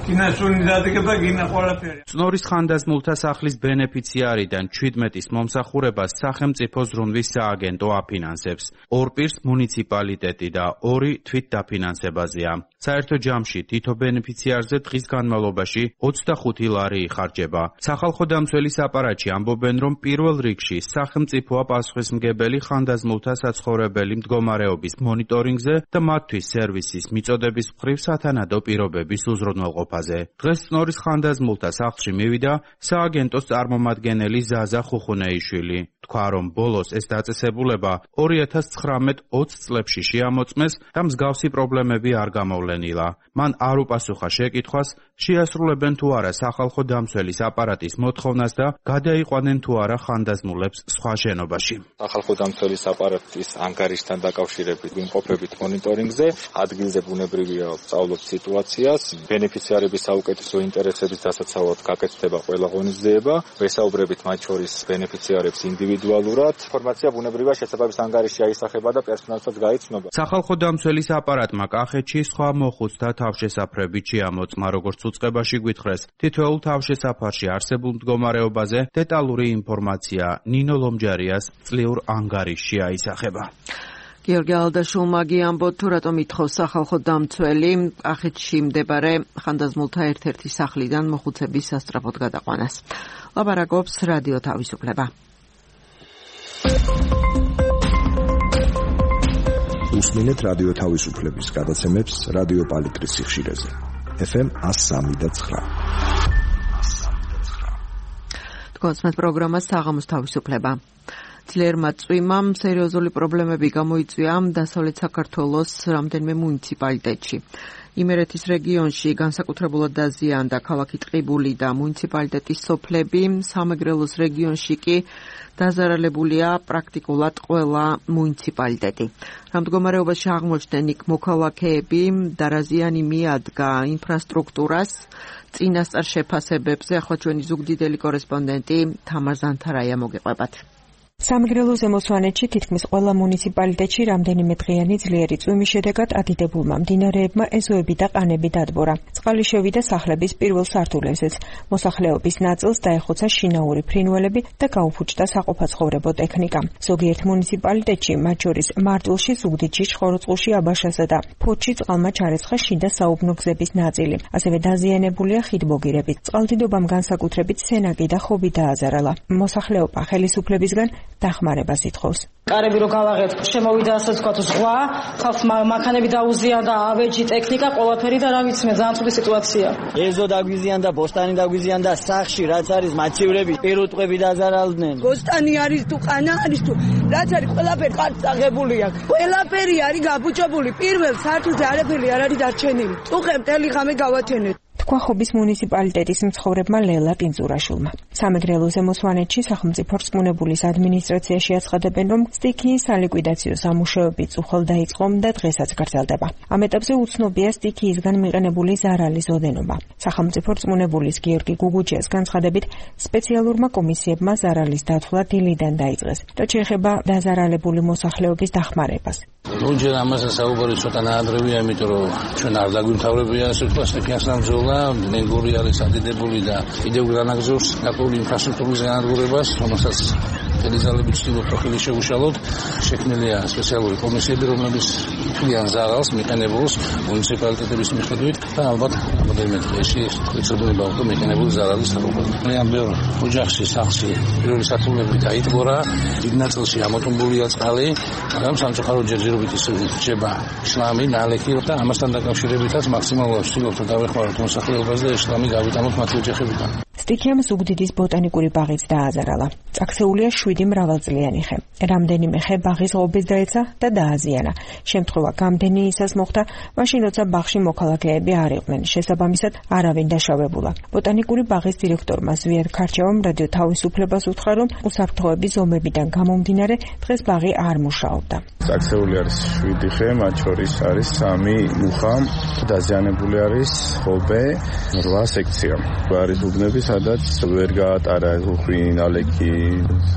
კინასუნი დადგება, კინა ყველაფერი. წნორის ხანდაზმულთა სახლის ბენეფიციარიდან 17-ის მომსახურებას სახელმწიფო ზრუნვის სააგენტო აფინანსებს. 2 პირს მუნიციპალიტეტი და 2 თვით დაფინანსებაზეა. საერთო ჯამში თითო ბენეფიციარზე დღის განმავლობაში 25 ლარი იხარჯება. სახალხო დამცველის აპარატში ამბობენ, რომ პირველ რიგში სახელმწიფოა პასუხისმგებელი ხანდაზმულთა საცხოვრებელი მდგომარეობის მონიტორინგზე და მათთვის სერვისის მიწოდების მხრივ სათანადო პირობების უზრუნველყოფაზე. დღეს წნორის ხანდაზმულთა სახლში მივიდა სააგენტოს წარმომადგენელი ზაზა ხუხუნეიშვილი. თქვა, რომ ბოლოს ეს დაწესებულება 2019-20 წლებში შეამოწმეს და მსგავსი პრობლემები არ გამოვლენილა. მან არ უპასუხა შეკითხვას, შეასრულებენ თუ არა სახალხო დამცველის აპარატის მოთხოვნას და გადაიყვანენ თუ არა ხანდაზმულებს სხვა შენობაში. სახალხო დამცველის აპარატის ანგარიშთან დაკავშირებით ვიმყოფებით მონიტორინგზე, ადგილზე ბუნებრივია ვსწავლობთ სიტუაციას, ბენეფიციარების საუკეთესო ინტერესების დასაცავად გაკეთდება ყველა ღონისძიება, ვესაუბრებით მათ შორის ბენეფიციარებს ინდივიდუალურად. ინფორმაცია ბუნებრივია შესაბამის ანგარიშში აისახება და პერსონალსაც გაიცნობა. სახალხო დამცველის აპარატმა კახეთში სხვა მოხუცთა თავშესაფრებით შეამოწმა, როგორც უწყებაში გვითხრეს. თითოეულ თავშესაფარში არსებულ მდგომარეობაზე დეტალური ინფორმაცია ნინო ლომჯარიას წლიურ ანგარიშში აისახება. გიორგი ალდაშულმა ამბობთ, თუ რატომ ითხოვს სახალხო დამცველი კახეთში მდებარე ხანდაზმულთა ერთ-ერთი სახლიდან მოხუცების სასწრაფოდ გადაყვანას. ლაპარაკობს რადიო თავისუფლება. უსმინეთ რადიო თავისუფლების გადაცემებს რადიო პალიტრის სიხშირეზე. FM 103.9. თქვენს პროგრამა საღამოს თავისუფლება. ძლიერმა წვიმამ სერიოზული პრობლემები გამოიწვია დასავლეთ საქართველოს რამდენიმე მუნიციპალიტეტში. იმერეთის რეგიონში განსაკუთრებულად დაზიანდა ქალაქი ტყიბული და მუნიციპალიტეტის სოფლები, სამეგრელოს რეგიონში კი დაზარალებულია პრაქტიკულად ყველა მუნიციპალიტეტი. რა მდგომარეობაში აღმოჩნდნენ იქ მოქალაქეები, დარაზიანი მიადგა ინფრასტრუქტურას, წინასწარ შეფასებებზე ახლა ჩვენი ზუგდიდელი კორესპონდენტი თამარ ზანთარაია მოგეყვებათ. სამეგრელო ზემოსვანეთში თითქმის ყველა მუნიციპალიტეტში რამდენიმე დღიანი ძლიერი წვიმის შედეგად ადიდებულმა მდინარეებმა ეზოები და ყანები დადბორა. წყალი შევიდა სახლების პირველ სართულებზეც. მოსახლეობის ნაწილს დაეხოცა შინაური ფრინველები და გაუფუჭდა საყოფაცხოვრებო ტექნიკა. ზოგიერთ მუნიციპალიტეტში, მათ შორის მარტვილში, ზუგდიდში, შხოროწყულში, აბაშასა და ფოთში წყალმა ჩარეცხა შიდა საუბნო გზების ნაწილი. ასევე დაზიანებულია ხიდბოგირები. წყალდიდობამ განსაკუთრებით სენაკი და ხობი დააზარალა. მოსახლეობა ხელისუფლებისგან დახმარებას ითხოვს. კარები რო გავაღეთ, შემოვიდა ასე ვთქვათ ზღვა, ხალხს მანქანები დაუზიანდა, ავეჯი, ტექნიკა, ყველაფერი და რა ვიცი მე, ძალიან ცუდი სიტუაცია. ეზო დაგვიზიანდა, ბოსტანი დაგვიზიანდა, სახში რაც არის მაჩივრები, პირუტყვები დაზარალდნენ. ბოსტანი არის თუ ყანა არის თუ რაც არის ყველაფერი ყარც აღებული აქვს. ყველაფერი არის გაბუჭებული. პირველ სართულზე არაფერი არ არის დარჩენილი. ტუხე მთელი ღამე გავათენეთ. თქვა ხობის მუნიციპალიტეტის მცხოვრებმა ლელა ტინძურაშულმა. სამეგრელო ზემოსვანეთში სახელმწიფო რწმუნებულის ადმინისტრაციაში აცხადებენ, რომ სტიქიის სალიკვიდაციო სამუშაოები წუხელ დაიწყო და დღესაც გრძელდება. ამ ეტაპზე უცნობია სტიქიისგან მიყენებული ზარალის ოდენობა. სახელმწიფო რწმუნებულის გიორგი გუგუჯიას განცხადებით, სპეციალურმა კომისიებმა ზარალის დათვლა დილიდან დაიწყეს. რაც შეეხება დაზარალებული მოსახლეობის დახმარებას. ნუჯერ ამაზე საუბარი ცოტა ნაადრევია, იმიტომ რომ ჩვენ არ დაგვიმთავრებია ასე თქვა სტიქიას ნამზოვლა, მეგორი არის ადიდებული და კიდევ განაგზობს ნაკურული ინფრასტრუქტურის განადგურებას, რომელსაც დელიზალები ცდილობთ ხელი შეუშალოთ. შექმნილია სპეციალური კომისიები, რომლებიც იფლიან ზარალს მიყენებულს მუნიციპალიტეტების მიხედვით და ალბათ რამოდენიმე დღეში ეცოდება უკვე მიყენებული ზარალის საკუთრება. ძალიან ბევრ ოჯახში სახლში პირველი სართულები დაიტბორა, დიდ ნაწილში ამოტომბულია წყალი, მაგრამ სამწუხაროდ ჯერჯერობით რჩება შლამი, ნალექი და ამასთან დაკავშირებითაც მაქსიმალურად ვცდილობთ დავეხმაროთ მოსახლეობას და შლამი გავიტანოთ მათი ოჯახებიდან. სტიქიამ ზუგდიდის ბოტანიკური ბაღიც დააზარალა. წაქცეულია 7 მრავალწლიანი ხე. რამდენიმე ხე ბაღის ღობეს დაეცა და დააზიანა. შემთხვევა გამდენი ისას მოხდა, მაშინ როცა ბაღში მოქალაქეები არ იყვნენ. შესაბამისად არავინ დაშავებულა. ბოტანიკური ბაღის დირექტორმა ზვიად ქარჩევამ რადიო თავისუფლებას უთხრა, რომ უსაფრთხოების ზომებიდან გამომდინარე დღეს ბაღი არ მუშაობდა. წაქცეული არის 7 ხე, მათ შორის არის 3 მუხა, დაზიანებული არის ღობე, 8 სექცია. არის უბნები, სადაც ვერ გაატარა უხვი, ნალექი,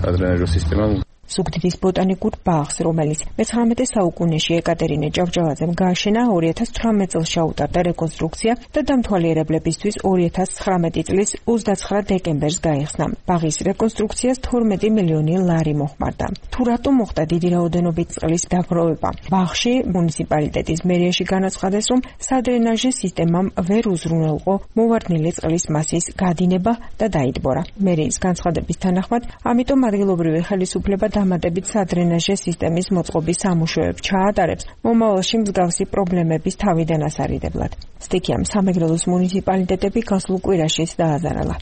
ადრენაჟო სისტემა. ზუგდიდის ბოტანიკურ ბაღს, რომელიც მე-19 საუკუნეში ეკატერინე ჭავჭავაძემ გააშენა, 2018 წელს ჩაუტარდა რეკონსტრუქცია და დამთვალიერებლებისთვის 2019 წლის 29 დეკემბერს გაიხსნა. ბაღის რეკონსტრუქციას 12 მილიონი ლარი მოხმარდა. თუ რატომ მოხდა დიდი რაოდენობით წყლის დაგროვება? ბაღში მუნიციპალიტეტის მერიაში განაცხადეს, რომ სადრენაჟე სისტემამ ვერ უზრუნველყო მოვარდნილი წყლის მასის გადინება და დაიტბორა. მერიის განცხადების თანახმად, ამიტომ ადგილობრივი ხელისუფლება დამატებით სადრენაჟე სისტემის მოწყობის სამუშაოებს ჩაატარებს, მომავალში მსგავსი პრობლემების თავიდან ასარიდებლად. სტიქიამ სამეგრელოს მუნიციპალიტეტები გასულ კვირაშიც დააზარალა.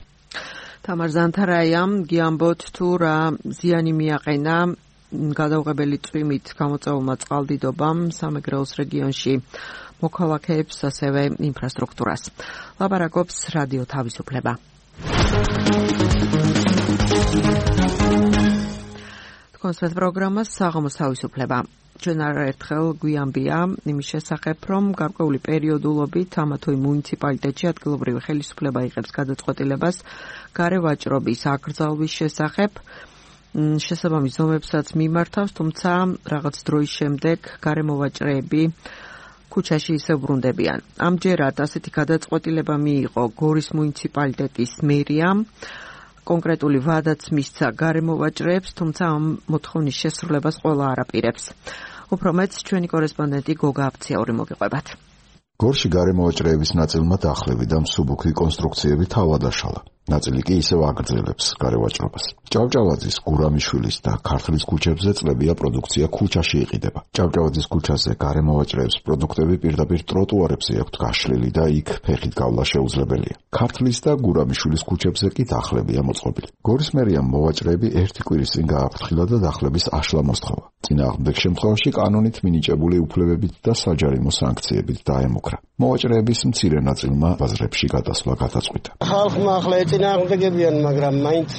თამარ ზანთარაიამ გიამბოთ თუ რა ზიანი მიაყენა გადაუღებელი წვიმით გამოწვეულმა წყალდიდობამ სამეგრელოს რეგიონში მოქალაქეებს, ასევე ინფრასტრუქტურას. ლაპარაკობს რადიო თავისუფლება. კონსერტ პროგრამას საღამოს თავისუფლება. ჩვენ არაერთხელ გვიამბია იმის შესახებ, რომ გარკვეული პერიოდულობით ამა თუ იმ მუნიციპალიტეტში ადგილობრივი ხელისუფლება იღებს გადაწყვეტილებას გარე ვაჭრობის აკრძალვის შესახებ. შესაბამის ზომებსაც მიმართავს, თუმცა რაღაც დროის შემდეგ გარემოვაჭრეები ქუჩაში ისევ ბრუნდებიან. ამჯერად ასეთი გადაწყვეტილება მიიღო გორის მუნიციპალიტეტის მერიამ. კონკრეტული ვადაც მისცა გარემოვაჭრეებს, თუმცა ამ მოთხოვნის შესრულებას ყველა არ აპირებს. უფრო მეტს ჩვენი კორესპონდენტი გოგა აფციაური მოგიყვებათ. გორში გარემოვაჭრეების ნაწილმა დახლები და მსუბუქი კონსტრუქციები თავად აშალა. ნაწილი კი ისევ აგრძელებს გარევაჭრობას. ჭავჭავაძის, გურამიშვილის და ქართლის ქუჩებზე წლებია პროდუქცია ქუჩაში იყიდება. ჭავჭავაძის ქუჩაზე გარემოვაჭრეებს პროდუქტები პირდაპირ ტროტუარებზე აქვთ გაშლილი და იქ ფეხით გავლა შეუძლებელია. ქართლის და გურამიშვილის ქუჩებზე კი დახლებია მოწყობილი. გორის მერიამ მოვაჭრეები ერთი კვირის წინ გააფრთხილა და დახლების აშლა მოსთხოვა. წინააღმდეგ შემთხვევაში კანონით მინიჭებული უფლებებით და საჯარიმო სანქციებით დაემუქრა. მოვაჭრეების მცირე ნაწილმა ბაზრებში გადასვლა გადაწყვიტა. ხალხმა ახლა ეწინააღმდეგებიან, მაგრამ მაინც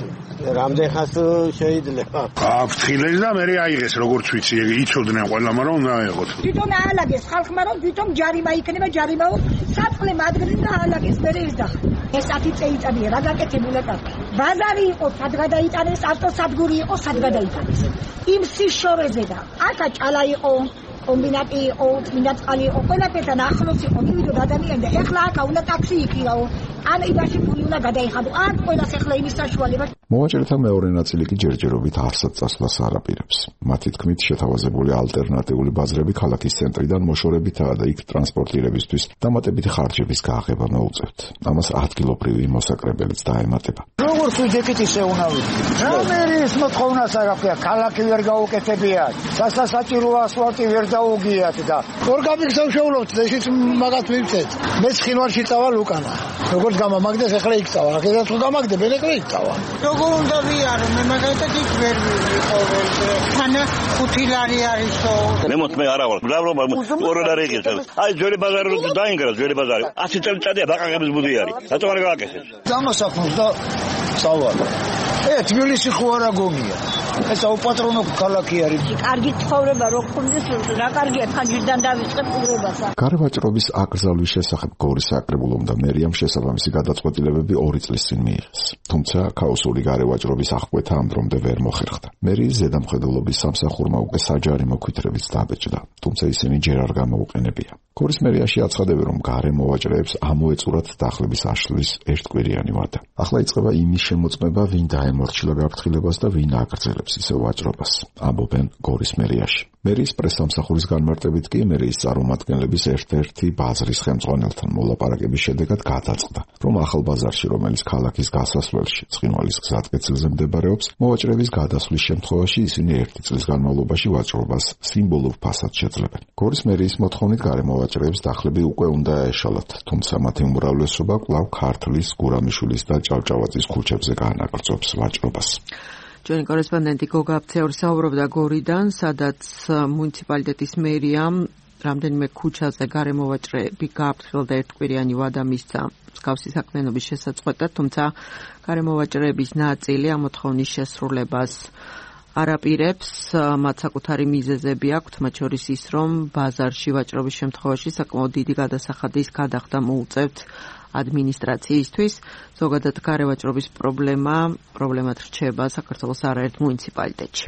რამდენ ხანს შეიძლება. აფრთხილეს და მე აიღეს, როგორც ვიცი, იცოდნენ ყველამ რომ უნდა აიღოთ. თვითონ აალაგეს ხალხმა, რომ თვითონ ჯარიმა იქნება, ჯარიმაო საწყლე მადგრით და აალაგეს მე ის და ეს 10 წელიწადია რა გაკეთებულა კაცი. ბაზარი იყო, სად გადაიტანეს, ავტოსადგური იყო, სად გადაიტანეს. იმ სიშორეზე და აქა ჭალა იყო, კომბინატი იყო, წმინდაწყალი იყო, ყველაფერთან ახლოს იყო, მივიდოდ ადამიანი და ეხლა აქა უნდა ტაქსი იქიაო. ან იმაში ფული უნდა გადაიხადო. არ ყველას ეხლა იმის საშუალება. მოვაჭრეთა მეორე ნაწილი კი ჯერჯერობით არსად წასვლას არ აპირებს. მათი თქმით, შეთავაზებული ალტერნატიული ბაზრები ქალაქის ცენტრიდან მოშორებითაა და იქ ტრანსპორტირებისთვის დამატებითი ხარჯების გააღება მოუწევთ. ამას ადგილობრივი მოსაკრებელიც დაემატება. როგორც ვიძეკით ისე უნდა ვიქნას. რა მერის მოთხოვნას არ აქვს, ქალაქი ვერ გაუკეთებიათ. სასაჭირო ასფალტი ვერ დაუგიათ და ორ გამიგზავნებთ და ისიც მაგათ მივცეთ. მე ცხინვალში წავალ უკანა. როგორც გამამაგდეს ახლა იქ წავალ. აქედაც თუ გამაგდებენ ახლა იქ წავალ. როგორ უნდა ვიარო მე მაგალითად იქ ვერ ვიყოველზე. თანა 5 ლარი არისო. მე მოთმე არა ვარ. მრავლობა 2 ლარი იყიებს. აი ძველი ბაზარი რო დაინგრა ძველი ბაზარი. 100 წელიწადია ბაყაყების ბუდი არის. რატომ არ გააკეთეს? დამასახოს და წავალ. თბილისი ხო არა გონია. ეს აუპატრონო ქალაქი არის. კარგი ცხოვრება რო გქონდეს, რა კარგია ხანჯიდან დავიწყებ უბრალოდ. გარევაჭრობის აკრძალვის შესახებ გორის საკრებულომ და მერიამ შესაბამისი გადაწყვეტილებები 2 წლის წინ მიიღეს. თუმცა ქაოსური გარევაჭრობის აღკვეთა ამ დრომდე ვერ მოხერხდა. მერიის ზედამხედველობის სამსახურმა უკვე საჯარიმო ქვითრებიც დაბეჭდა, თუმცა ისინი ჯერ არ გამოუყენებია. გორის მერიაში აცხადებენ, რომ გარემოვაჭრეებს ამოეწურათ დახლების აშლის ერთკვირიანი ვადა. ახლა იწყება იმის შემოწმება, ვინ დაემორჩილა გაფრთხილებას და ვინ აგრძელებს ისევ ვაჭრობას, ამბობენ გორის მერიაში. მერიის პრესსამსახურის განმარტებით კი მერიის წარმომადგენლების ერთ-ერთი ბაზრის ხელმძღვანელთან მოლაპარაკების შედეგად გადაწყდა, რომ ახალ ბაზარში, რომელიც ქალაქის გასასვლელში ცხინვალის გზატკეცილზე მდებარეობს, მოვაჭრეების გადასვლის შემთხვევაში ისინი 1 წლის განმავლობაში ვაჭრობას სიმბოლურ ფასად შეძლებენ. გორის მერიის მოთხოვნით გარემოვაჭრეებს დახლები უკვე უნდა ეშალათ, თუმცა მათი უმრავლესობა კვლავ ქართლის, გურამიშვილის და ჭავჭავაძის ქუჩებზე განაგრძობს ვაჭრობას. ჩვენი კორესპონდენტი გოგა აფციაური საუბრობდა გორიდან, სადაც მუნიციპალიტეტის მერიამ რამდენიმე ქუჩაზე გარემოვაჭრეები გააფრთხილდა და ერთკვირიანი ვადა მისცა მსგავსი საქმიანობის შესაწყვეტად, თუმცა გარემოვაჭრეების ნაწილი ამ მოთხოვნის შესრულებას არ აპირებს, მათ საკუთარი მიზეზები აქვთ, მათ შორის ის, რომ ბაზარში ვაჭრობის შემთხვევაში საკმაოდ დიდი გადასახადის გადახდა მოუწევთ ადმინისტრაციისთვის. ზოგადად გარევაჭრობის პრობლემად რჩება საქართველოს არაერთ მუნიციპალიტეტში.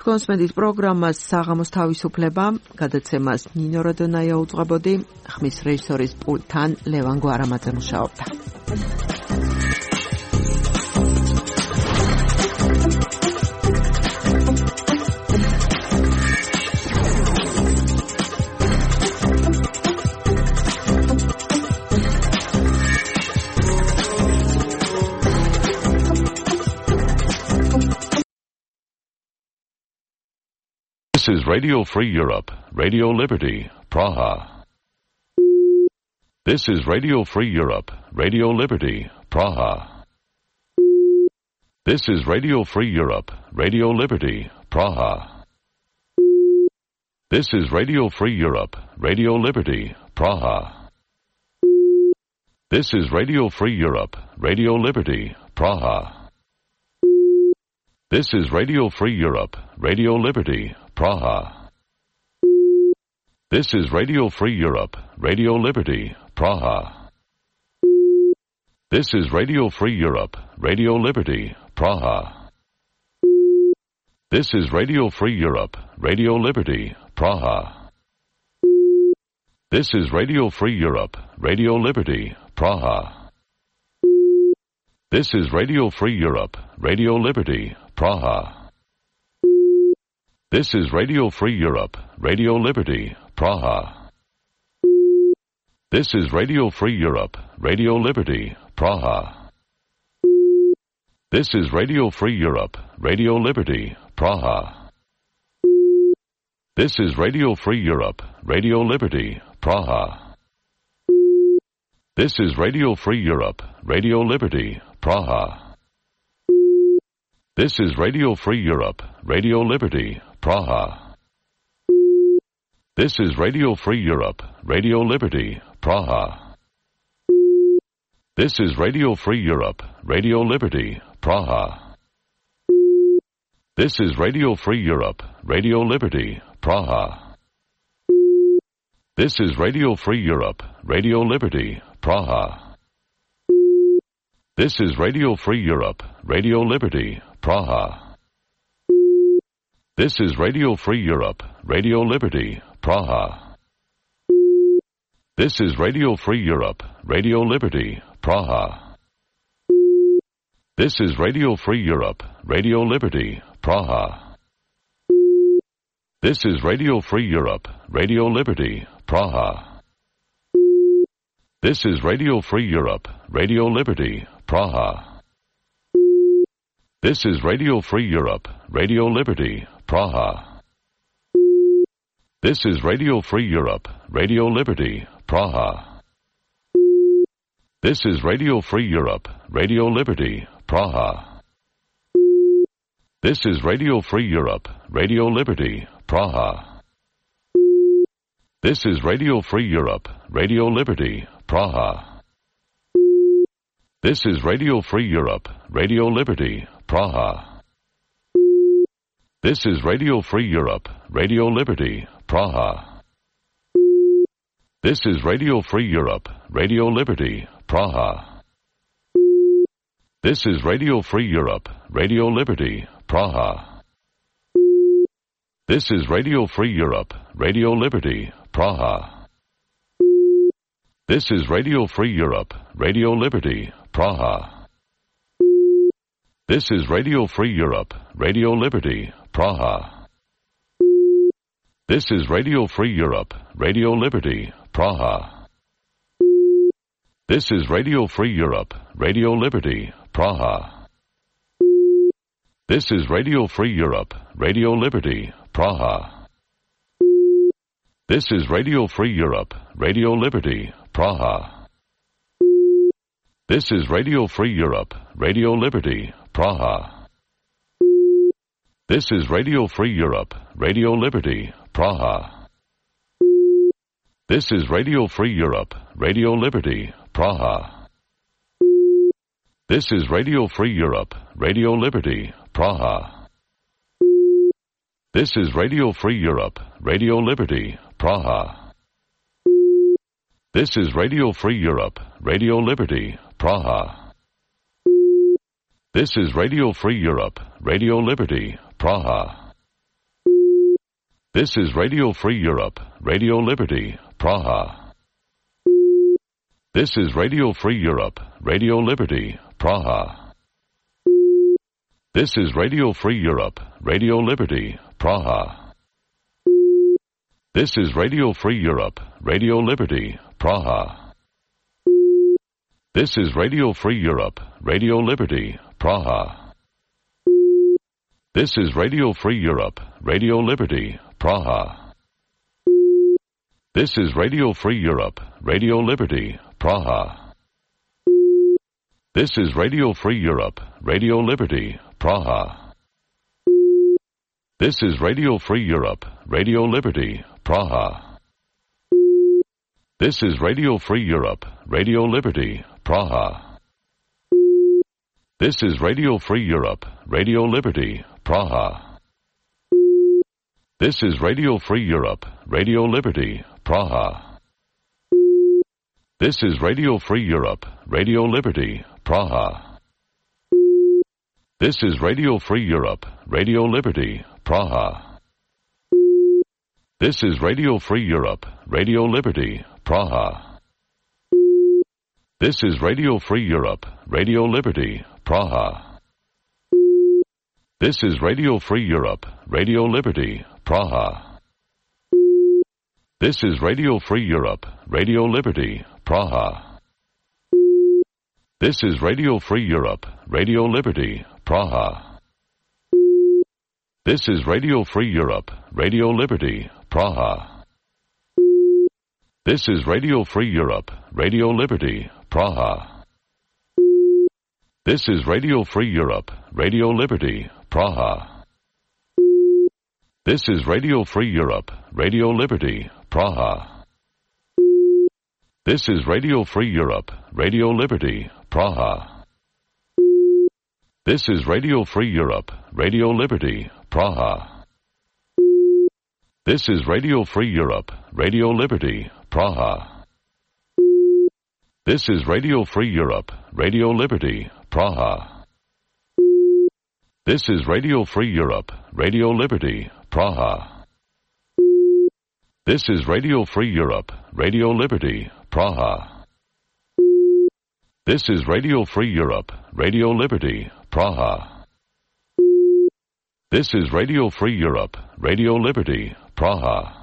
გონსმენთ პროგრამას საღამოს თავისუფლება, გადაცემას ნინო როდონაია უძღვებოდი, ხმის რეჟისორის პულტთან ლევან გვარამაძე მუშაობდა. This is Radio Free Europe, Radio Liberty, Praha. This is Radio Free Europe, Radio Liberty, Praha. This is Radio Free Europe, Radio Liberty, Praha. This is Radio Free Europe, Radio Liberty, Praha. This is Radio Free Europe, Radio Liberty, Praha. This is Radio Free Europe, Radio Liberty, Praha. This is Radio Free Europe, Radio Liberty, Praha. This is Radio Free Europe, Radio Liberty, Praha. This is Radio Free Europe, Radio Liberty, Praha. This is Radio Free Europe, Radio Liberty, Praha. This is Radio Free Europe, Radio Liberty, Praha. This is Radio Free Europe, Radio Liberty, Praha. This is Radio Free Europe, Radio Liberty, Praha. This is Radio Free Europe, Radio Liberty, Praha. This is Radio Free Europe, Radio Liberty, Praha. This is Radio Free Europe, Radio Liberty, Praha. This is Radio Free Europe, Radio Liberty, Praha. This is Radio Free Europe, Radio Liberty, Praha. This is Radio Free Europe, Radio Liberty, Praha. This is Radio Free Europe, Radio Liberty, Praha. This is Radio Free Europe, Radio Liberty, Praha. This is Radio Free Europe, Radio Liberty, Praha. This is Radio Free Europe, Radio Liberty, Praha. This is Radio Free Europe, Radio Liberty, Praha. This is Radio Free Europe, Radio Liberty, Praha. This is Radio Free Europe, Radio Liberty, Praha. This is Radio Free Europe, Radio Liberty, Praha. This is Radio Free Europe, Radio Liberty, Praha. This is Radio Free Europe, Radio Liberty, Praha. This is Radio Free Europe, Radio Liberty, Praha. This is Radio Free Europe, Radio Liberty, Praha. This is Radio Free Europe, Radio Liberty, Praha. This is Radio Free Europe, Radio Liberty, Praha. This is Radio Free Europe, Radio Liberty, Praha. This is Radio Free Europe, Radio Liberty, Praha. This is Radio Free Europe, Radio Liberty, Praha. This is Radio Free Europe, Radio Liberty, Praha. This is Radio Free Europe, Radio Liberty, Praha. This is Radio Free Europe, Radio Liberty, Praha. This is Radio Free Europe, Radio Liberty, Praha. This is Radio Free Europe, Radio Liberty, Praha. This is Radio Free Europe, Radio Liberty, Praha. This is Radio Free Europe, Radio Liberty, Praha. This is Radio Free Europe, Radio Liberty, Praha. This is Radio Free Europe, Radio Liberty, Praha. This is Radio Free Europe, Radio Liberty, Praha. This is Radio Free Europe, Radio Liberty, Praha. This is Radio Free Europe, Radio Liberty, Praha. This is Radio Free Europe, Radio Liberty, Praha. This is Radio Free Europe, Radio Liberty, Praha. This is Radio Free Europe, Radio Liberty, Praha. This is Radio Free Europe, Radio Liberty, Praha. This is Radio Free Europe, Radio Liberty, Praha. This is Radio Free Europe, Radio Liberty, Praha. This is Radio Free Europe, Radio Liberty, Praha. This is Radio Free Europe, Radio Liberty, Praha. This is Radio Free Europe, Radio Liberty, Praha. This is Radio Free Europe, Radio Liberty, Praha. This is Radio Free Europe, Radio Liberty, Praha. This is Radio Free Europe, Radio Liberty, Praha. This is Radio Free Europe, Radio Liberty, Praha. This is Radio Free Europe, Radio Liberty, Praha. This is Radio Free Europe, Radio Liberty, Praha. This is Radio Free Europe, Radio Liberty, Praha. This is Radio Free Europe, Radio Liberty, Praha. This is Radio Free Europe, Radio Liberty, Praha. This is Radio Free Europe, Radio Liberty, Praha. This is Radio Free Europe, Radio Liberty, Praha. This is Radio Free Europe, Radio Liberty, Praha. This is Radio Free Europe, Radio Liberty, Praha. This is Radio Free Europe, Radio Liberty, Praha. This is Radio Free Europe, Radio Liberty, Praha. This is Radio Free Europe, Radio Liberty, Praha. This is Radio Free Europe, Radio Liberty, Praha. This is Radio Free Europe, Radio Liberty, Praha. This is Radio Free Europe, Radio Liberty, Praha. This is Radio Free Europe, Radio Liberty, Praha. This is Radio Free Europe, Radio Liberty, Praha. This is Radio Free Europe, Radio Liberty, Praha. This is Radio Free Europe, Radio Liberty, Praha. This is Radio Free Europe, Radio Liberty, Praha.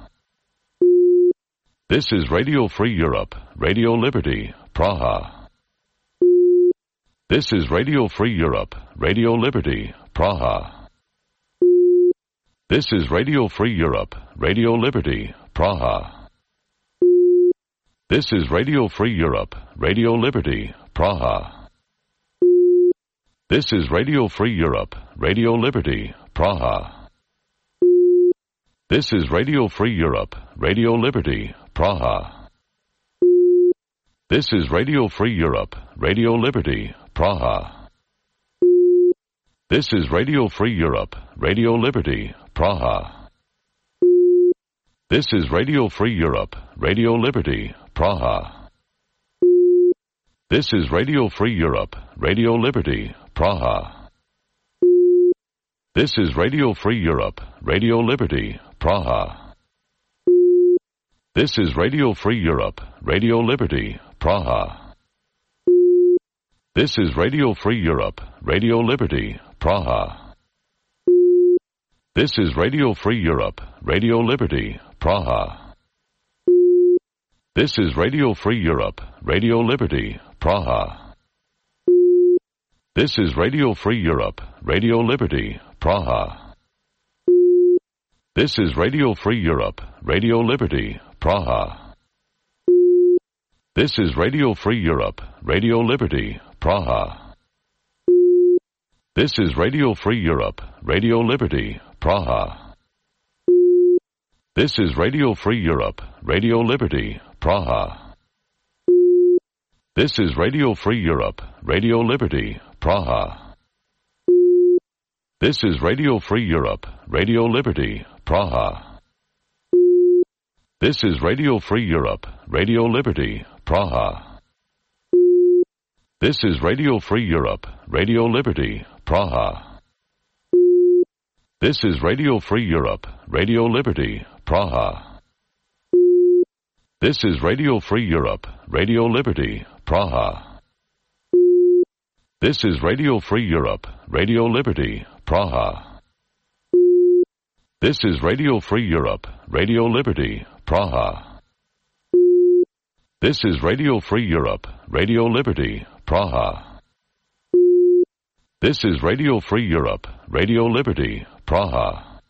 This is Radio Free Europe, Radio Liberty, Praha. This is Radio Free Europe, Radio Liberty, Praha. This is Radio Free Europe, Radio Liberty, Praha. This is Radio Free Europe, Radio Liberty, Praha. This is Radio Free Europe, Radio Liberty, Praha. This is Radio Free Europe, Radio Liberty, Praha. This is Radio Free Europe, Radio Liberty, Praha. This is Radio Free Europe, Radio Liberty, Praha. This is Radio Free Europe, Radio Liberty, Praha. This is Radio Free Europe, Radio Liberty, Praha. This is Radio Free Europe, Radio Liberty, Praha. This is Radio Free Europe, Radio Liberty, Praha. This is Radio Free Europe, Radio Liberty, Praha. This is Radio Free Europe, Radio Liberty, Praha. This is Radio Free Europe, Radio Liberty, Praha. This is Radio Free Europe, Radio Liberty, Praha. This is Radio Free Europe, Radio Liberty, Praha. This is Radio Free Europe, Radio Liberty, Praha. This is Radio Free Europe, Radio Liberty, Praha. This is Radio Free Europe, Radio Liberty, Praha. This is Radio Free Europe, Radio Liberty, Praha. This is Radio Free Europe, Radio Liberty, Praha. This is Radio Free Europe, Radio Liberty, Praha. This is Radio Free Europe, Radio Liberty, Praha. This is Radio Free Europe, Radio Liberty, Praha. This is Radio Free Europe, Radio Liberty, Praha. This is Radio Free Europe, Radio Liberty, Praha. This is Radio Free Europe, Radio Liberty, Praha. This is Radio Free Europe, Radio Liberty, Praha. This is Radio Free Europe, Radio Liberty, Praha.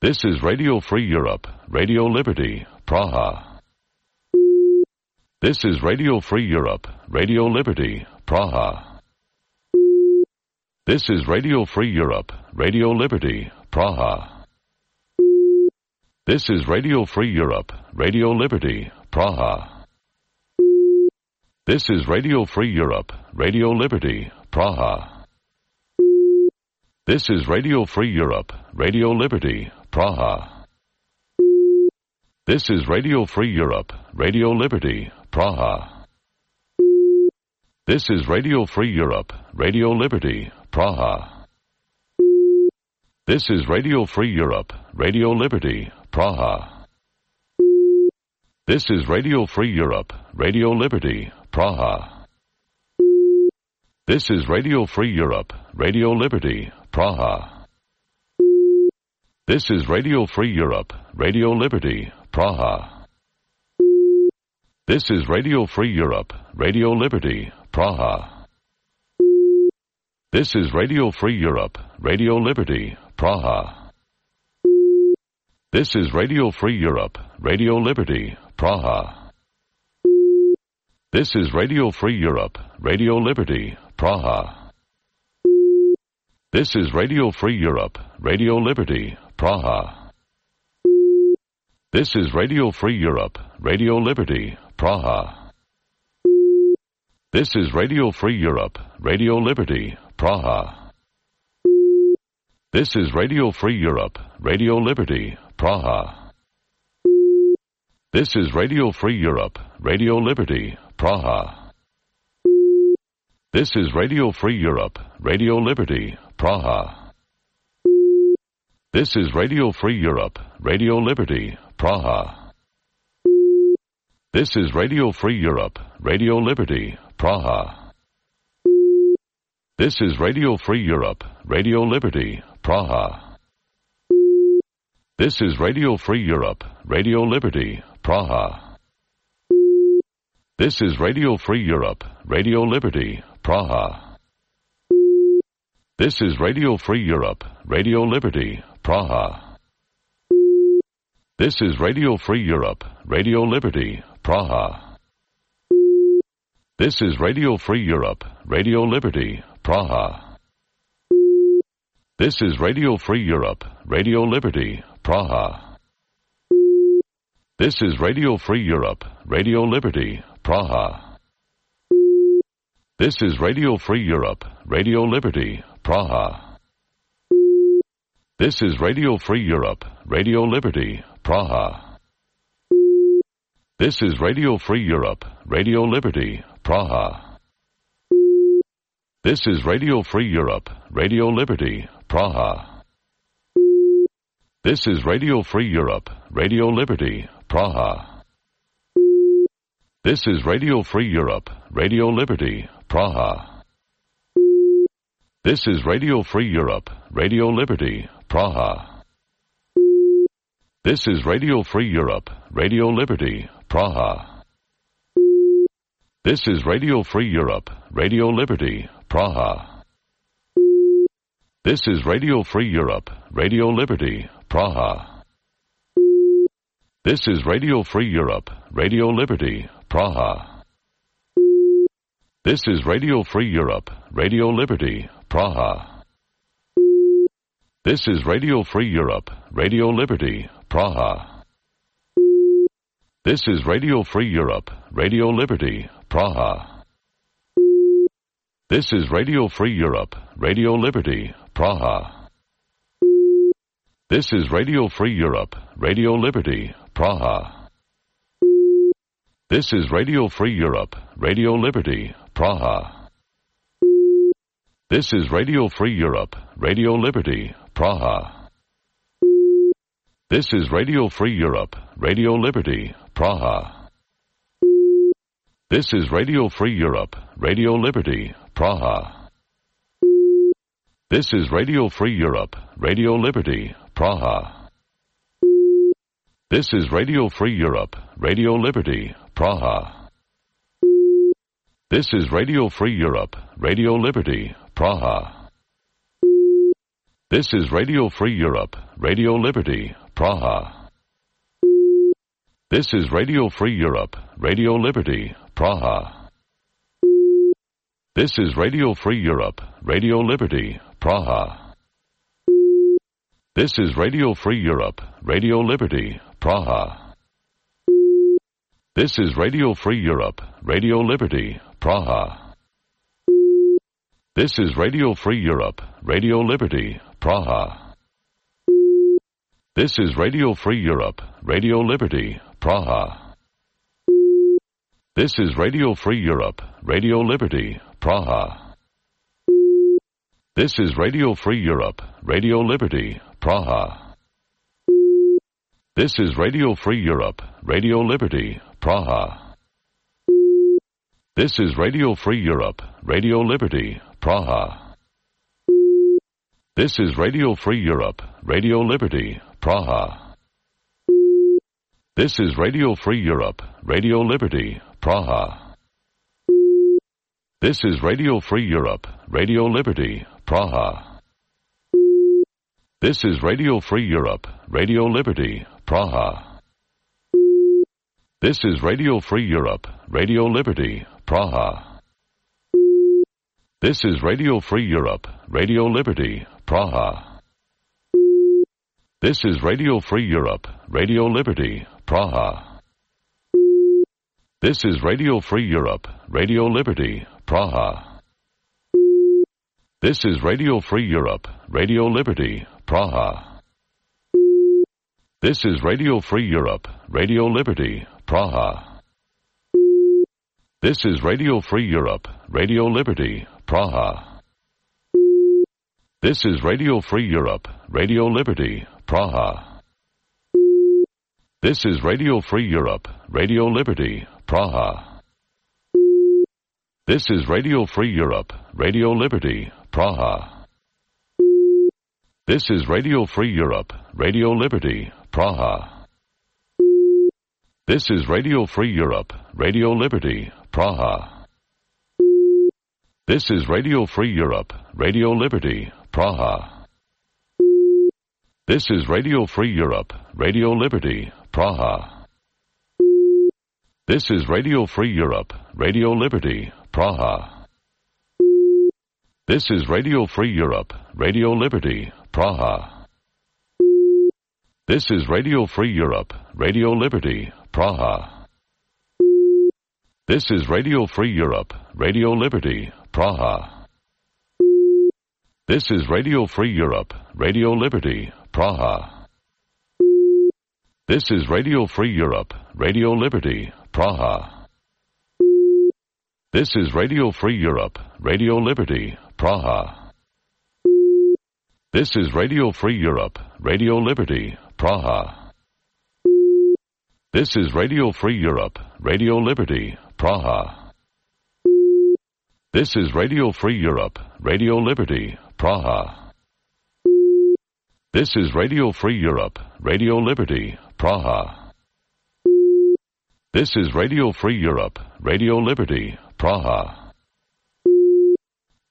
This is Radio Free Europe, Radio Liberty, Praha. This is Radio Free Europe, Radio Liberty, Praha. This is Radio Free Europe, Radio Liberty, Praha. This is Radio Free Europe, Radio Liberty, Praha. This is Radio Free Europe, Radio Liberty, Praha. This is Radio Free Europe, Radio Liberty, Praha. This is Radio Free Europe, Radio Liberty, Praha. This is Radio Free Europe, Radio Liberty, Praha. This is Radio Free Europe, Radio Liberty, Praha. This is Radio Free Europe, Radio Liberty, Praha. This is Radio Free Europe, Radio Liberty, Praha. This is Radio Free Europe, Radio Liberty, Praha. This is Radio Free Europe, Radio Liberty, Praha. This is Radio Free Europe, Radio Liberty, Praha. This is Radio Free Europe, Radio Liberty, Praha. This is Radio Free Europe, Radio Liberty, Praha. This is Radio Free Europe, Radio Liberty, Praha. This is Radio Free Europe, Radio Liberty, Praha. This is Radio Free Europe, Radio Liberty, Praha. This is Radio Free Europe, Radio Liberty, Praha. This is Radio Free Europe, Radio Liberty, Praha. This is Radio Free Europe, Radio Liberty, Praha. This is Radio Free Europe, Radio Liberty, Praha. This is Radio Free Europe, Radio Liberty, Praha. This is Radio Free Europe, Radio Liberty, Praha. This is Radio Free Europe, Radio Liberty, Praha. This is Radio Free Europe, Radio Liberty, Praha. This is Radio Free Europe, Radio Liberty, Praha. This is Radio Free Europe, Radio Liberty, Praha. This is Radio Free Europe, Radio Liberty, Praha. This is Radio Free Europe, Radio Liberty, Praha. This is Radio Free Europe, Radio Liberty, Praha. This is Radio Free Europe, Radio Liberty, Praha. This is Radio Free Europe, Radio Liberty, Praha. This is Radio Free Europe, Radio Liberty, Praha. This is Radio Free Europe, Radio Liberty, Praha. This is Radio Free Europe, Radio Liberty, Praha. This is Radio Free Europe, Radio Liberty, Praha. This is Radio Free Europe, Radio Liberty, Praha. This is Radio Free Europe, Radio Liberty, Praha. This is Radio Free Europe, Radio Liberty, Praha. This is Radio Free Europe, Radio Liberty, Praha. This is Radio Free Europe, Radio Liberty, Praha. This is Radio Free Europe, Radio Liberty, Praha. This is Radio Free Europe, Radio Liberty, Praha. This is Radio Free Europe, Radio Liberty, Praha. This is Radio Free Europe, Radio Liberty, Praha. This is Radio Free Europe, Radio Liberty, Praha. This is Radio Free Europe, Radio Liberty, Praha. This is Radio Free Europe, Radio Liberty, Praha. This is Radio Free Europe, Radio Liberty, Praha. This is Radio Free Europe, Radio Liberty, Praha. This is Radio Free Europe, Radio Liberty, Praha. This is Radio Free Europe, Radio Liberty, Praha. This is Radio Free Europe, Radio Liberty, Praha. This is Radio Free Europe, Radio Liberty, Praha. This is Radio Free Europe, Radio Liberty, Praha. This is Radio Free Europe, Radio Liberty, Praha. This is Radio Free Europe, Radio Liberty, Praha. This is Radio Free Europe, Radio Liberty, Praha. This is Radio Free Europe, Radio Liberty, Praha. This is Radio Free Europe, Radio Liberty, Praha. This is Radio Free Europe, Radio Liberty, Praha. This is Radio Free Europe, Radio Liberty, Praha. This is Radio Free Europe, Radio Liberty, Praha. This is Radio Free Europe, Radio Liberty, Praha. This is Radio Free Europe, Radio Liberty, Praha. This is Radio Free Europe, Radio Liberty, Praha. This is Radio Free Europe, Radio Liberty, Praha. This is Radio Free Europe, Radio Liberty, Praha. This is Radio Free Europe, Radio Liberty, Praha. This is Radio Free Europe, Radio Liberty, Praha. This is Radio Free Europe, Radio Liberty, Praha. This is Radio Free Europe, Radio Liberty, Praha. This is Radio Free Europe, Radio Liberty, Praha. This is Radio Free Europe, Radio Liberty, Praha. This is Radio Free Europe, Radio Liberty, Praha. This is Radio Free Europe, Radio Liberty, Praha. This is Radio Free Europe, Radio Liberty, Praha. This is Radio Free Europe, Radio Liberty, Praha. This is Radio Free Europe, Radio Liberty, Praha. This is Radio Free Europe, Radio Liberty, Praha. This is Radio Free Europe, Radio Liberty, Praha. This is Radio Free Europe, Radio Liberty, Praha. This is Radio Free Europe, Radio Liberty, Praha. This is Radio Free Europe, Radio Liberty, Praha. This is Radio Free Europe, Radio Liberty, Praha. This is Radio Free Europe, Radio Liberty, Praha. This is Radio Free Europe, Radio Liberty, Praha. This is Radio Free Europe, Radio Liberty, Praha. This is Radio Free Europe, Radio Liberty, Praha. This is Radio Free Europe, Radio Liberty, Praha. This is Radio Free Europe, Radio Liberty, Praha. This is Radio Free Europe, Radio Liberty, Praha. This is Radio Free Europe, Radio Liberty, Praha. This is Radio Free Europe, Radio Liberty, Praha.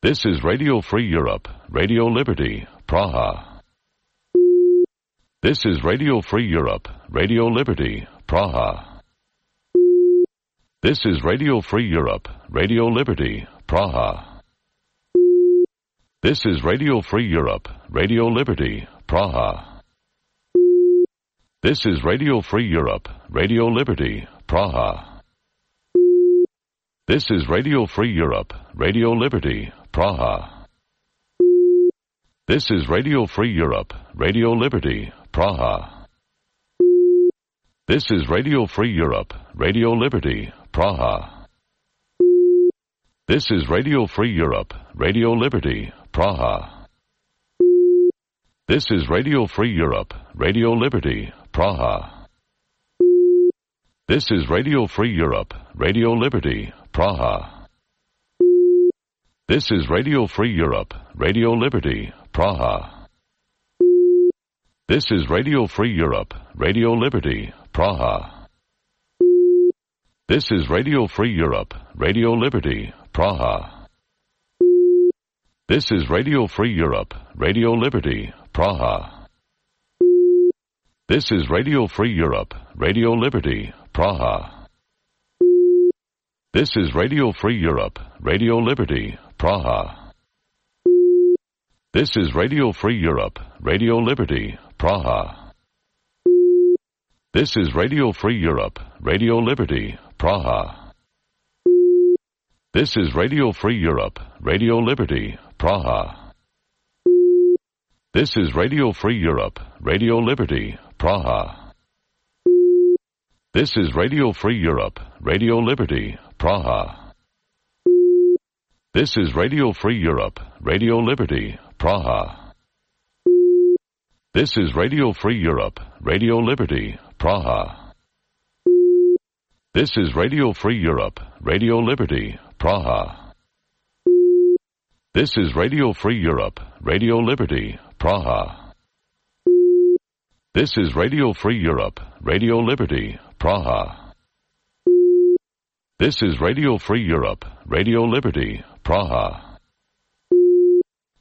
This is Radio Free Europe, Radio Liberty, Praha. This is Radio Free Europe, Radio Liberty, Praha. This is Radio Free Europe, Radio Liberty, Praha. This is Radio Free Europe, Radio Liberty, Praha. This is Radio Free Europe, Radio Liberty, Praha. This is Radio Free Europe, Radio Liberty, Praha. This is Radio Free Europe, Radio Liberty, Praha. This is Radio Free Europe, Radio Liberty, Praha. This is Radio Free Europe, Radio Liberty, Praha. This is Radio Free Europe, Radio Liberty, Praha. This is Radio Free Europe, Radio Liberty, Praha. This is Radio Free Europe, Radio Liberty, Praha. This is Radio Free Europe, Radio Liberty, Praha. This is Radio Free Europe, Radio Liberty, Praha. This is Radio Free Europe, Radio Liberty, Praha. This is Radio Free Europe, Radio Liberty, Praha. This is Radio Free Europe, Radio Liberty, Praha. This is Radio Free Europe, Radio Liberty, Praha. This is Radio Free Europe, Radio Liberty, Praha. This is Radio Free Europe, Radio Liberty, Praha. This is Radio Free Europe, Radio Liberty, Praha. This is Radio Free Europe, Radio Liberty, Praha. This is Radio Free Europe, Radio Liberty, Praha. This is Radio Free Europe, Radio Liberty, Praha. This is Radio Free Europe, Radio Liberty, Praha. This is Radio Free Europe, Radio Liberty, Praha. This is Radio Free Europe, Radio Liberty, Praha. This is Radio Free Europe, Radio Liberty, Praha.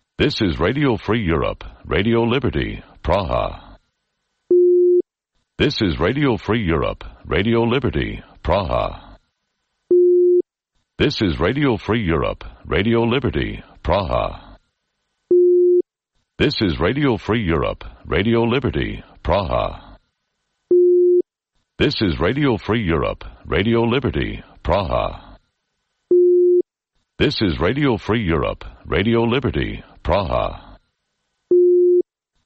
This is Radio Free Europe, Radio Liberty, Praha. This is Radio Free Europe, Radio Liberty, Praha. This is Radio Free Europe, Radio Liberty, Praha. This is Radio Free Europe, Radio Liberty, Praha. This is Radio Free Europe, Radio Liberty, Praha. This is Radio Free Europe, Radio Liberty, Praha.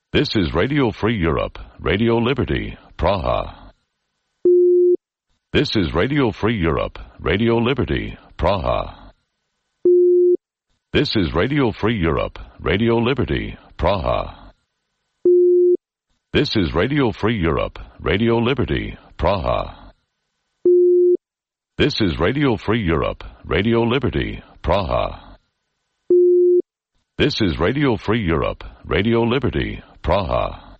This is Radio Free Europe, Radio Liberty, Praha. This is Radio Free Europe, Radio Liberty, Praha. This is Radio Free Europe, Radio Liberty, Praha. This is Radio Free Europe, Radio Liberty, Praha. This is Radio Free Europe, Radio Liberty, Praha. This is Radio Free Europe, Radio Liberty, Praha.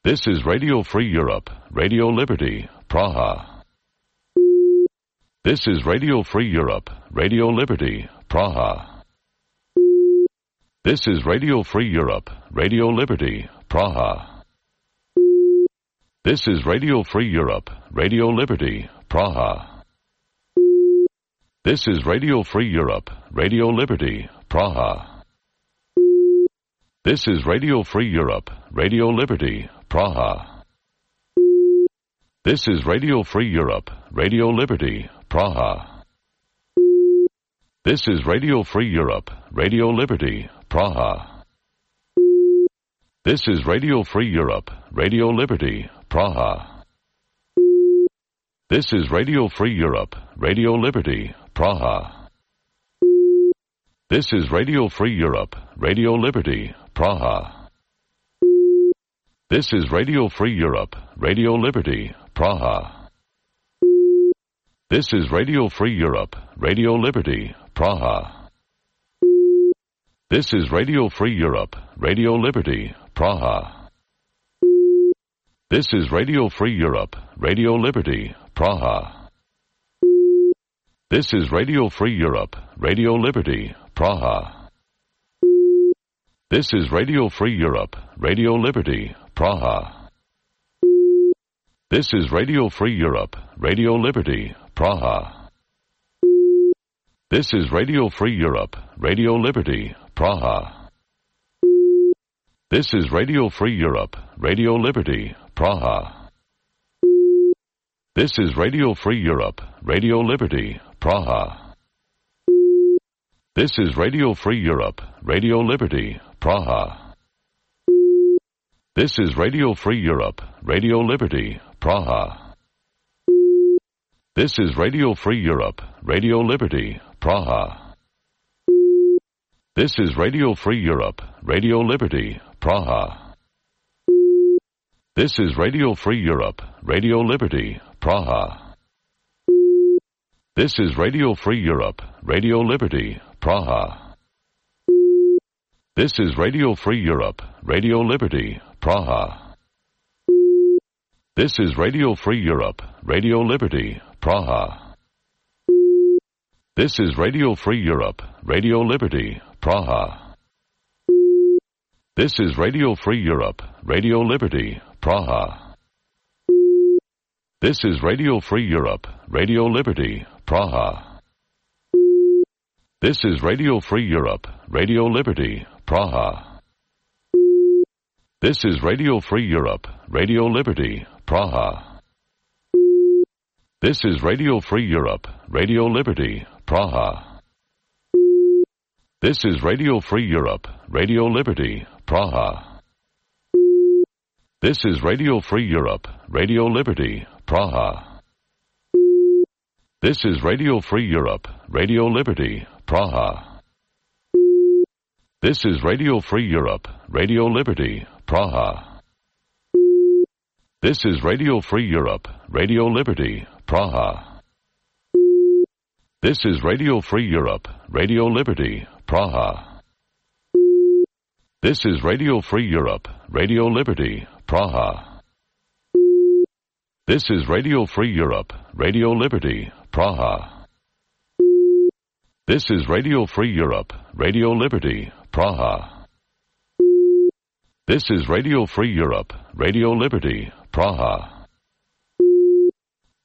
This is Radio Free Europe, Radio Liberty, Praha. This is Radio Free Europe, Radio Liberty, Praha. This is Radio Free Europe, Radio Liberty, Praha. This is Radio Free Europe, Radio Liberty, Praha. This is Radio Free Europe, Radio Liberty, Praha. This is Radio Free Europe, Radio Liberty, Praha. This is Radio Free Europe, Radio Liberty, Praha. This is Radio Free Europe, Radio Liberty, Praha. This is Radio Free Europe, Radio Liberty, Praha. This is Radio Free Europe, Radio Liberty, Praha. This is Radio Free Europe, Radio Liberty, Praha. This is Radio Free Europe, Radio Liberty, Praha. This is Radio Free Europe, Radio Liberty, Praha. This is Radio Free Europe, Radio Liberty, Praha. This is Radio Free Europe, Radio Liberty, Praha. This is Radio Free Europe, Radio Liberty, Praha. This is Radio Free Europe, Radio Liberty, Praha. This is Radio Free Europe, Radio Liberty, Praha. This is Radio Free Europe, Radio Liberty, Praha. This is Radio Free Europe, Radio Liberty, Praha. This is Radio Free Europe, Radio Liberty, Praha. This is Radio Free Europe, Radio Liberty, Praha. This is Radio Free Europe, Radio Liberty, Praha. This is Radio Free Europe, Radio Liberty, Praha. This is Radio Free Europe, Radio Liberty, Praha. This is Radio Free Europe, Radio Liberty, Praha. This is Radio Free Europe, Radio Liberty, Praha. This is Radio Free Europe, Radio Liberty, Praha. This is Radio Free Europe, Radio Liberty, Praha. This is Radio Free Europe, Radio Liberty, Praha. This is Radio Free Europe, Radio Liberty, Praha. This is Radio Free Europe, Radio Liberty, Praha. This is Radio Free Europe, Radio Liberty, Praha. This is Radio Free Europe, Radio Liberty, Praha. This is Radio Free Europe, Radio Liberty, Praha. This is Radio Free Europe, Radio Liberty, Praha. This is Radio Free Europe, Radio Liberty, Praha. This is Radio Free Europe, Radio Liberty, Praha. This is Radio Free Europe, Radio Liberty, Praha. This is Radio Free Europe, Radio Liberty, Praha. This is Radio Free Europe, Radio Liberty, Praha. This is Radio Free Europe, Radio Liberty, Praha. This is Radio Free Europe, Radio Liberty, Praha. This is Radio Free Europe, Radio Liberty, Praha. This is Radio Free Europe, Radio Liberty, Praha.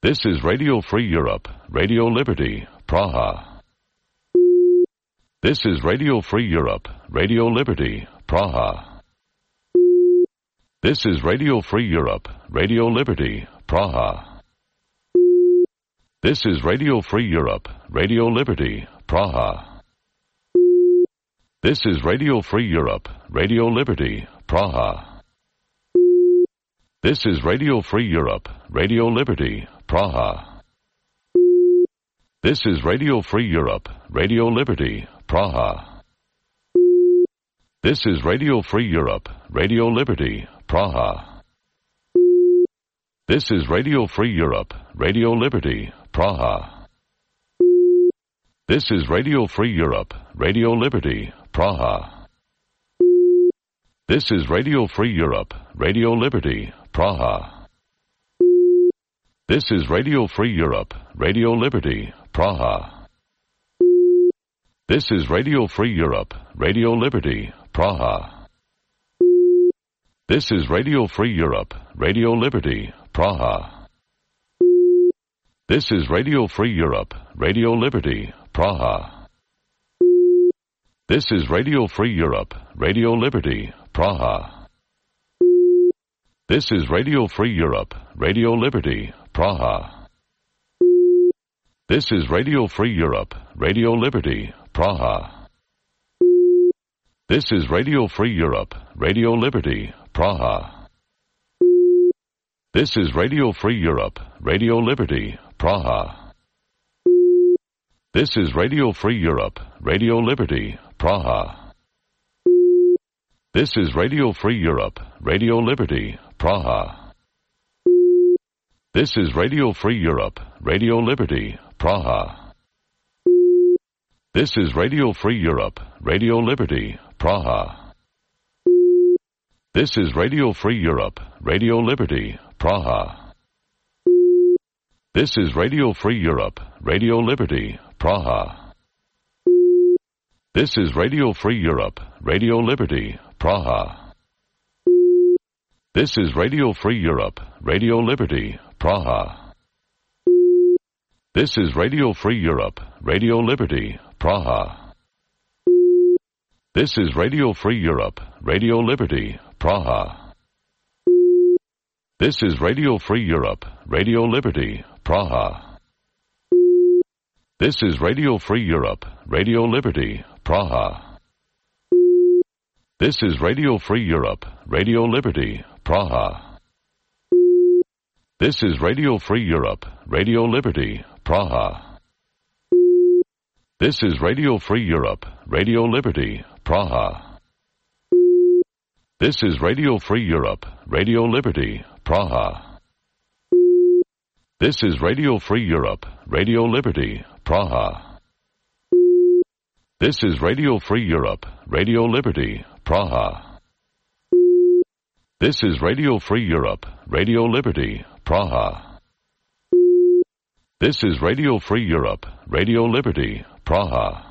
This is Radio Free Europe, Radio Liberty, Praha. This is Radio Free Europe, Radio Liberty, Praha. This is Radio Free Europe, Radio Liberty, Praha. This is Radio Free Europe, Radio Liberty, Praha. This is Radio Free Europe, Radio Liberty, Praha. This is Radio Free Europe, Radio Liberty, Praha. This is Radio Free Europe, Radio Liberty, Praha. This is Radio Free Europe, Radio Liberty, Praha. This is Radio Free Europe, Radio Liberty, Praha. This is Radio Free Europe, Radio Liberty, Praha. This is Radio Free Europe, Radio Liberty, Praha. This is Radio Free Europe, Radio Liberty, Praha. This is Radio Free Europe, Radio Liberty, Praha. This is Radio Free Europe, Radio Liberty, Praha. This is Radio Free Europe, Radio Liberty, Praha. This is Radio Free Europe, Radio Liberty, Praha. This is Radio Free Europe, Radio Liberty, Praha. This is Radio Free Europe, Radio Liberty, Praha. This is Radio Free Europe, Radio Liberty, Praha. This is Radio Free Europe, Radio Liberty, Praha. This is Radio Free Europe, Radio Liberty, Praha. This is Radio Free Europe, Radio Liberty, Praha. This is Radio Free Europe, Radio Liberty, Praha. This is Radio Free Europe, Radio Liberty, Praha. This is Radio Free Europe, Radio Liberty, Praha. This is Radio Free Europe, Radio Liberty, Praha. This is Radio Free Europe, Radio Liberty, Praha. This is Radio Free Europe, Radio Liberty, Praha. This is Radio Free Europe, Radio Liberty, Praha. This is Radio Free Europe, Radio Liberty, Praha. This is Radio Free Europe, Radio Liberty, Praha. This is Radio Free Europe, Radio Liberty, Praha. This is Radio Free Europe, Radio Liberty, Praha. This is Radio Free Europe, Radio Liberty, Praha. This is Radio Free Europe, Radio Liberty, Praha. This is Radio Free Europe, Radio Liberty, Praha. This is Radio Free Europe, Radio Liberty, Praha. This is Radio Free Europe, Radio Liberty, Praha. This is Radio Free Europe, Radio Liberty, Praha. This is Radio Free Europe, Radio Liberty, Praha.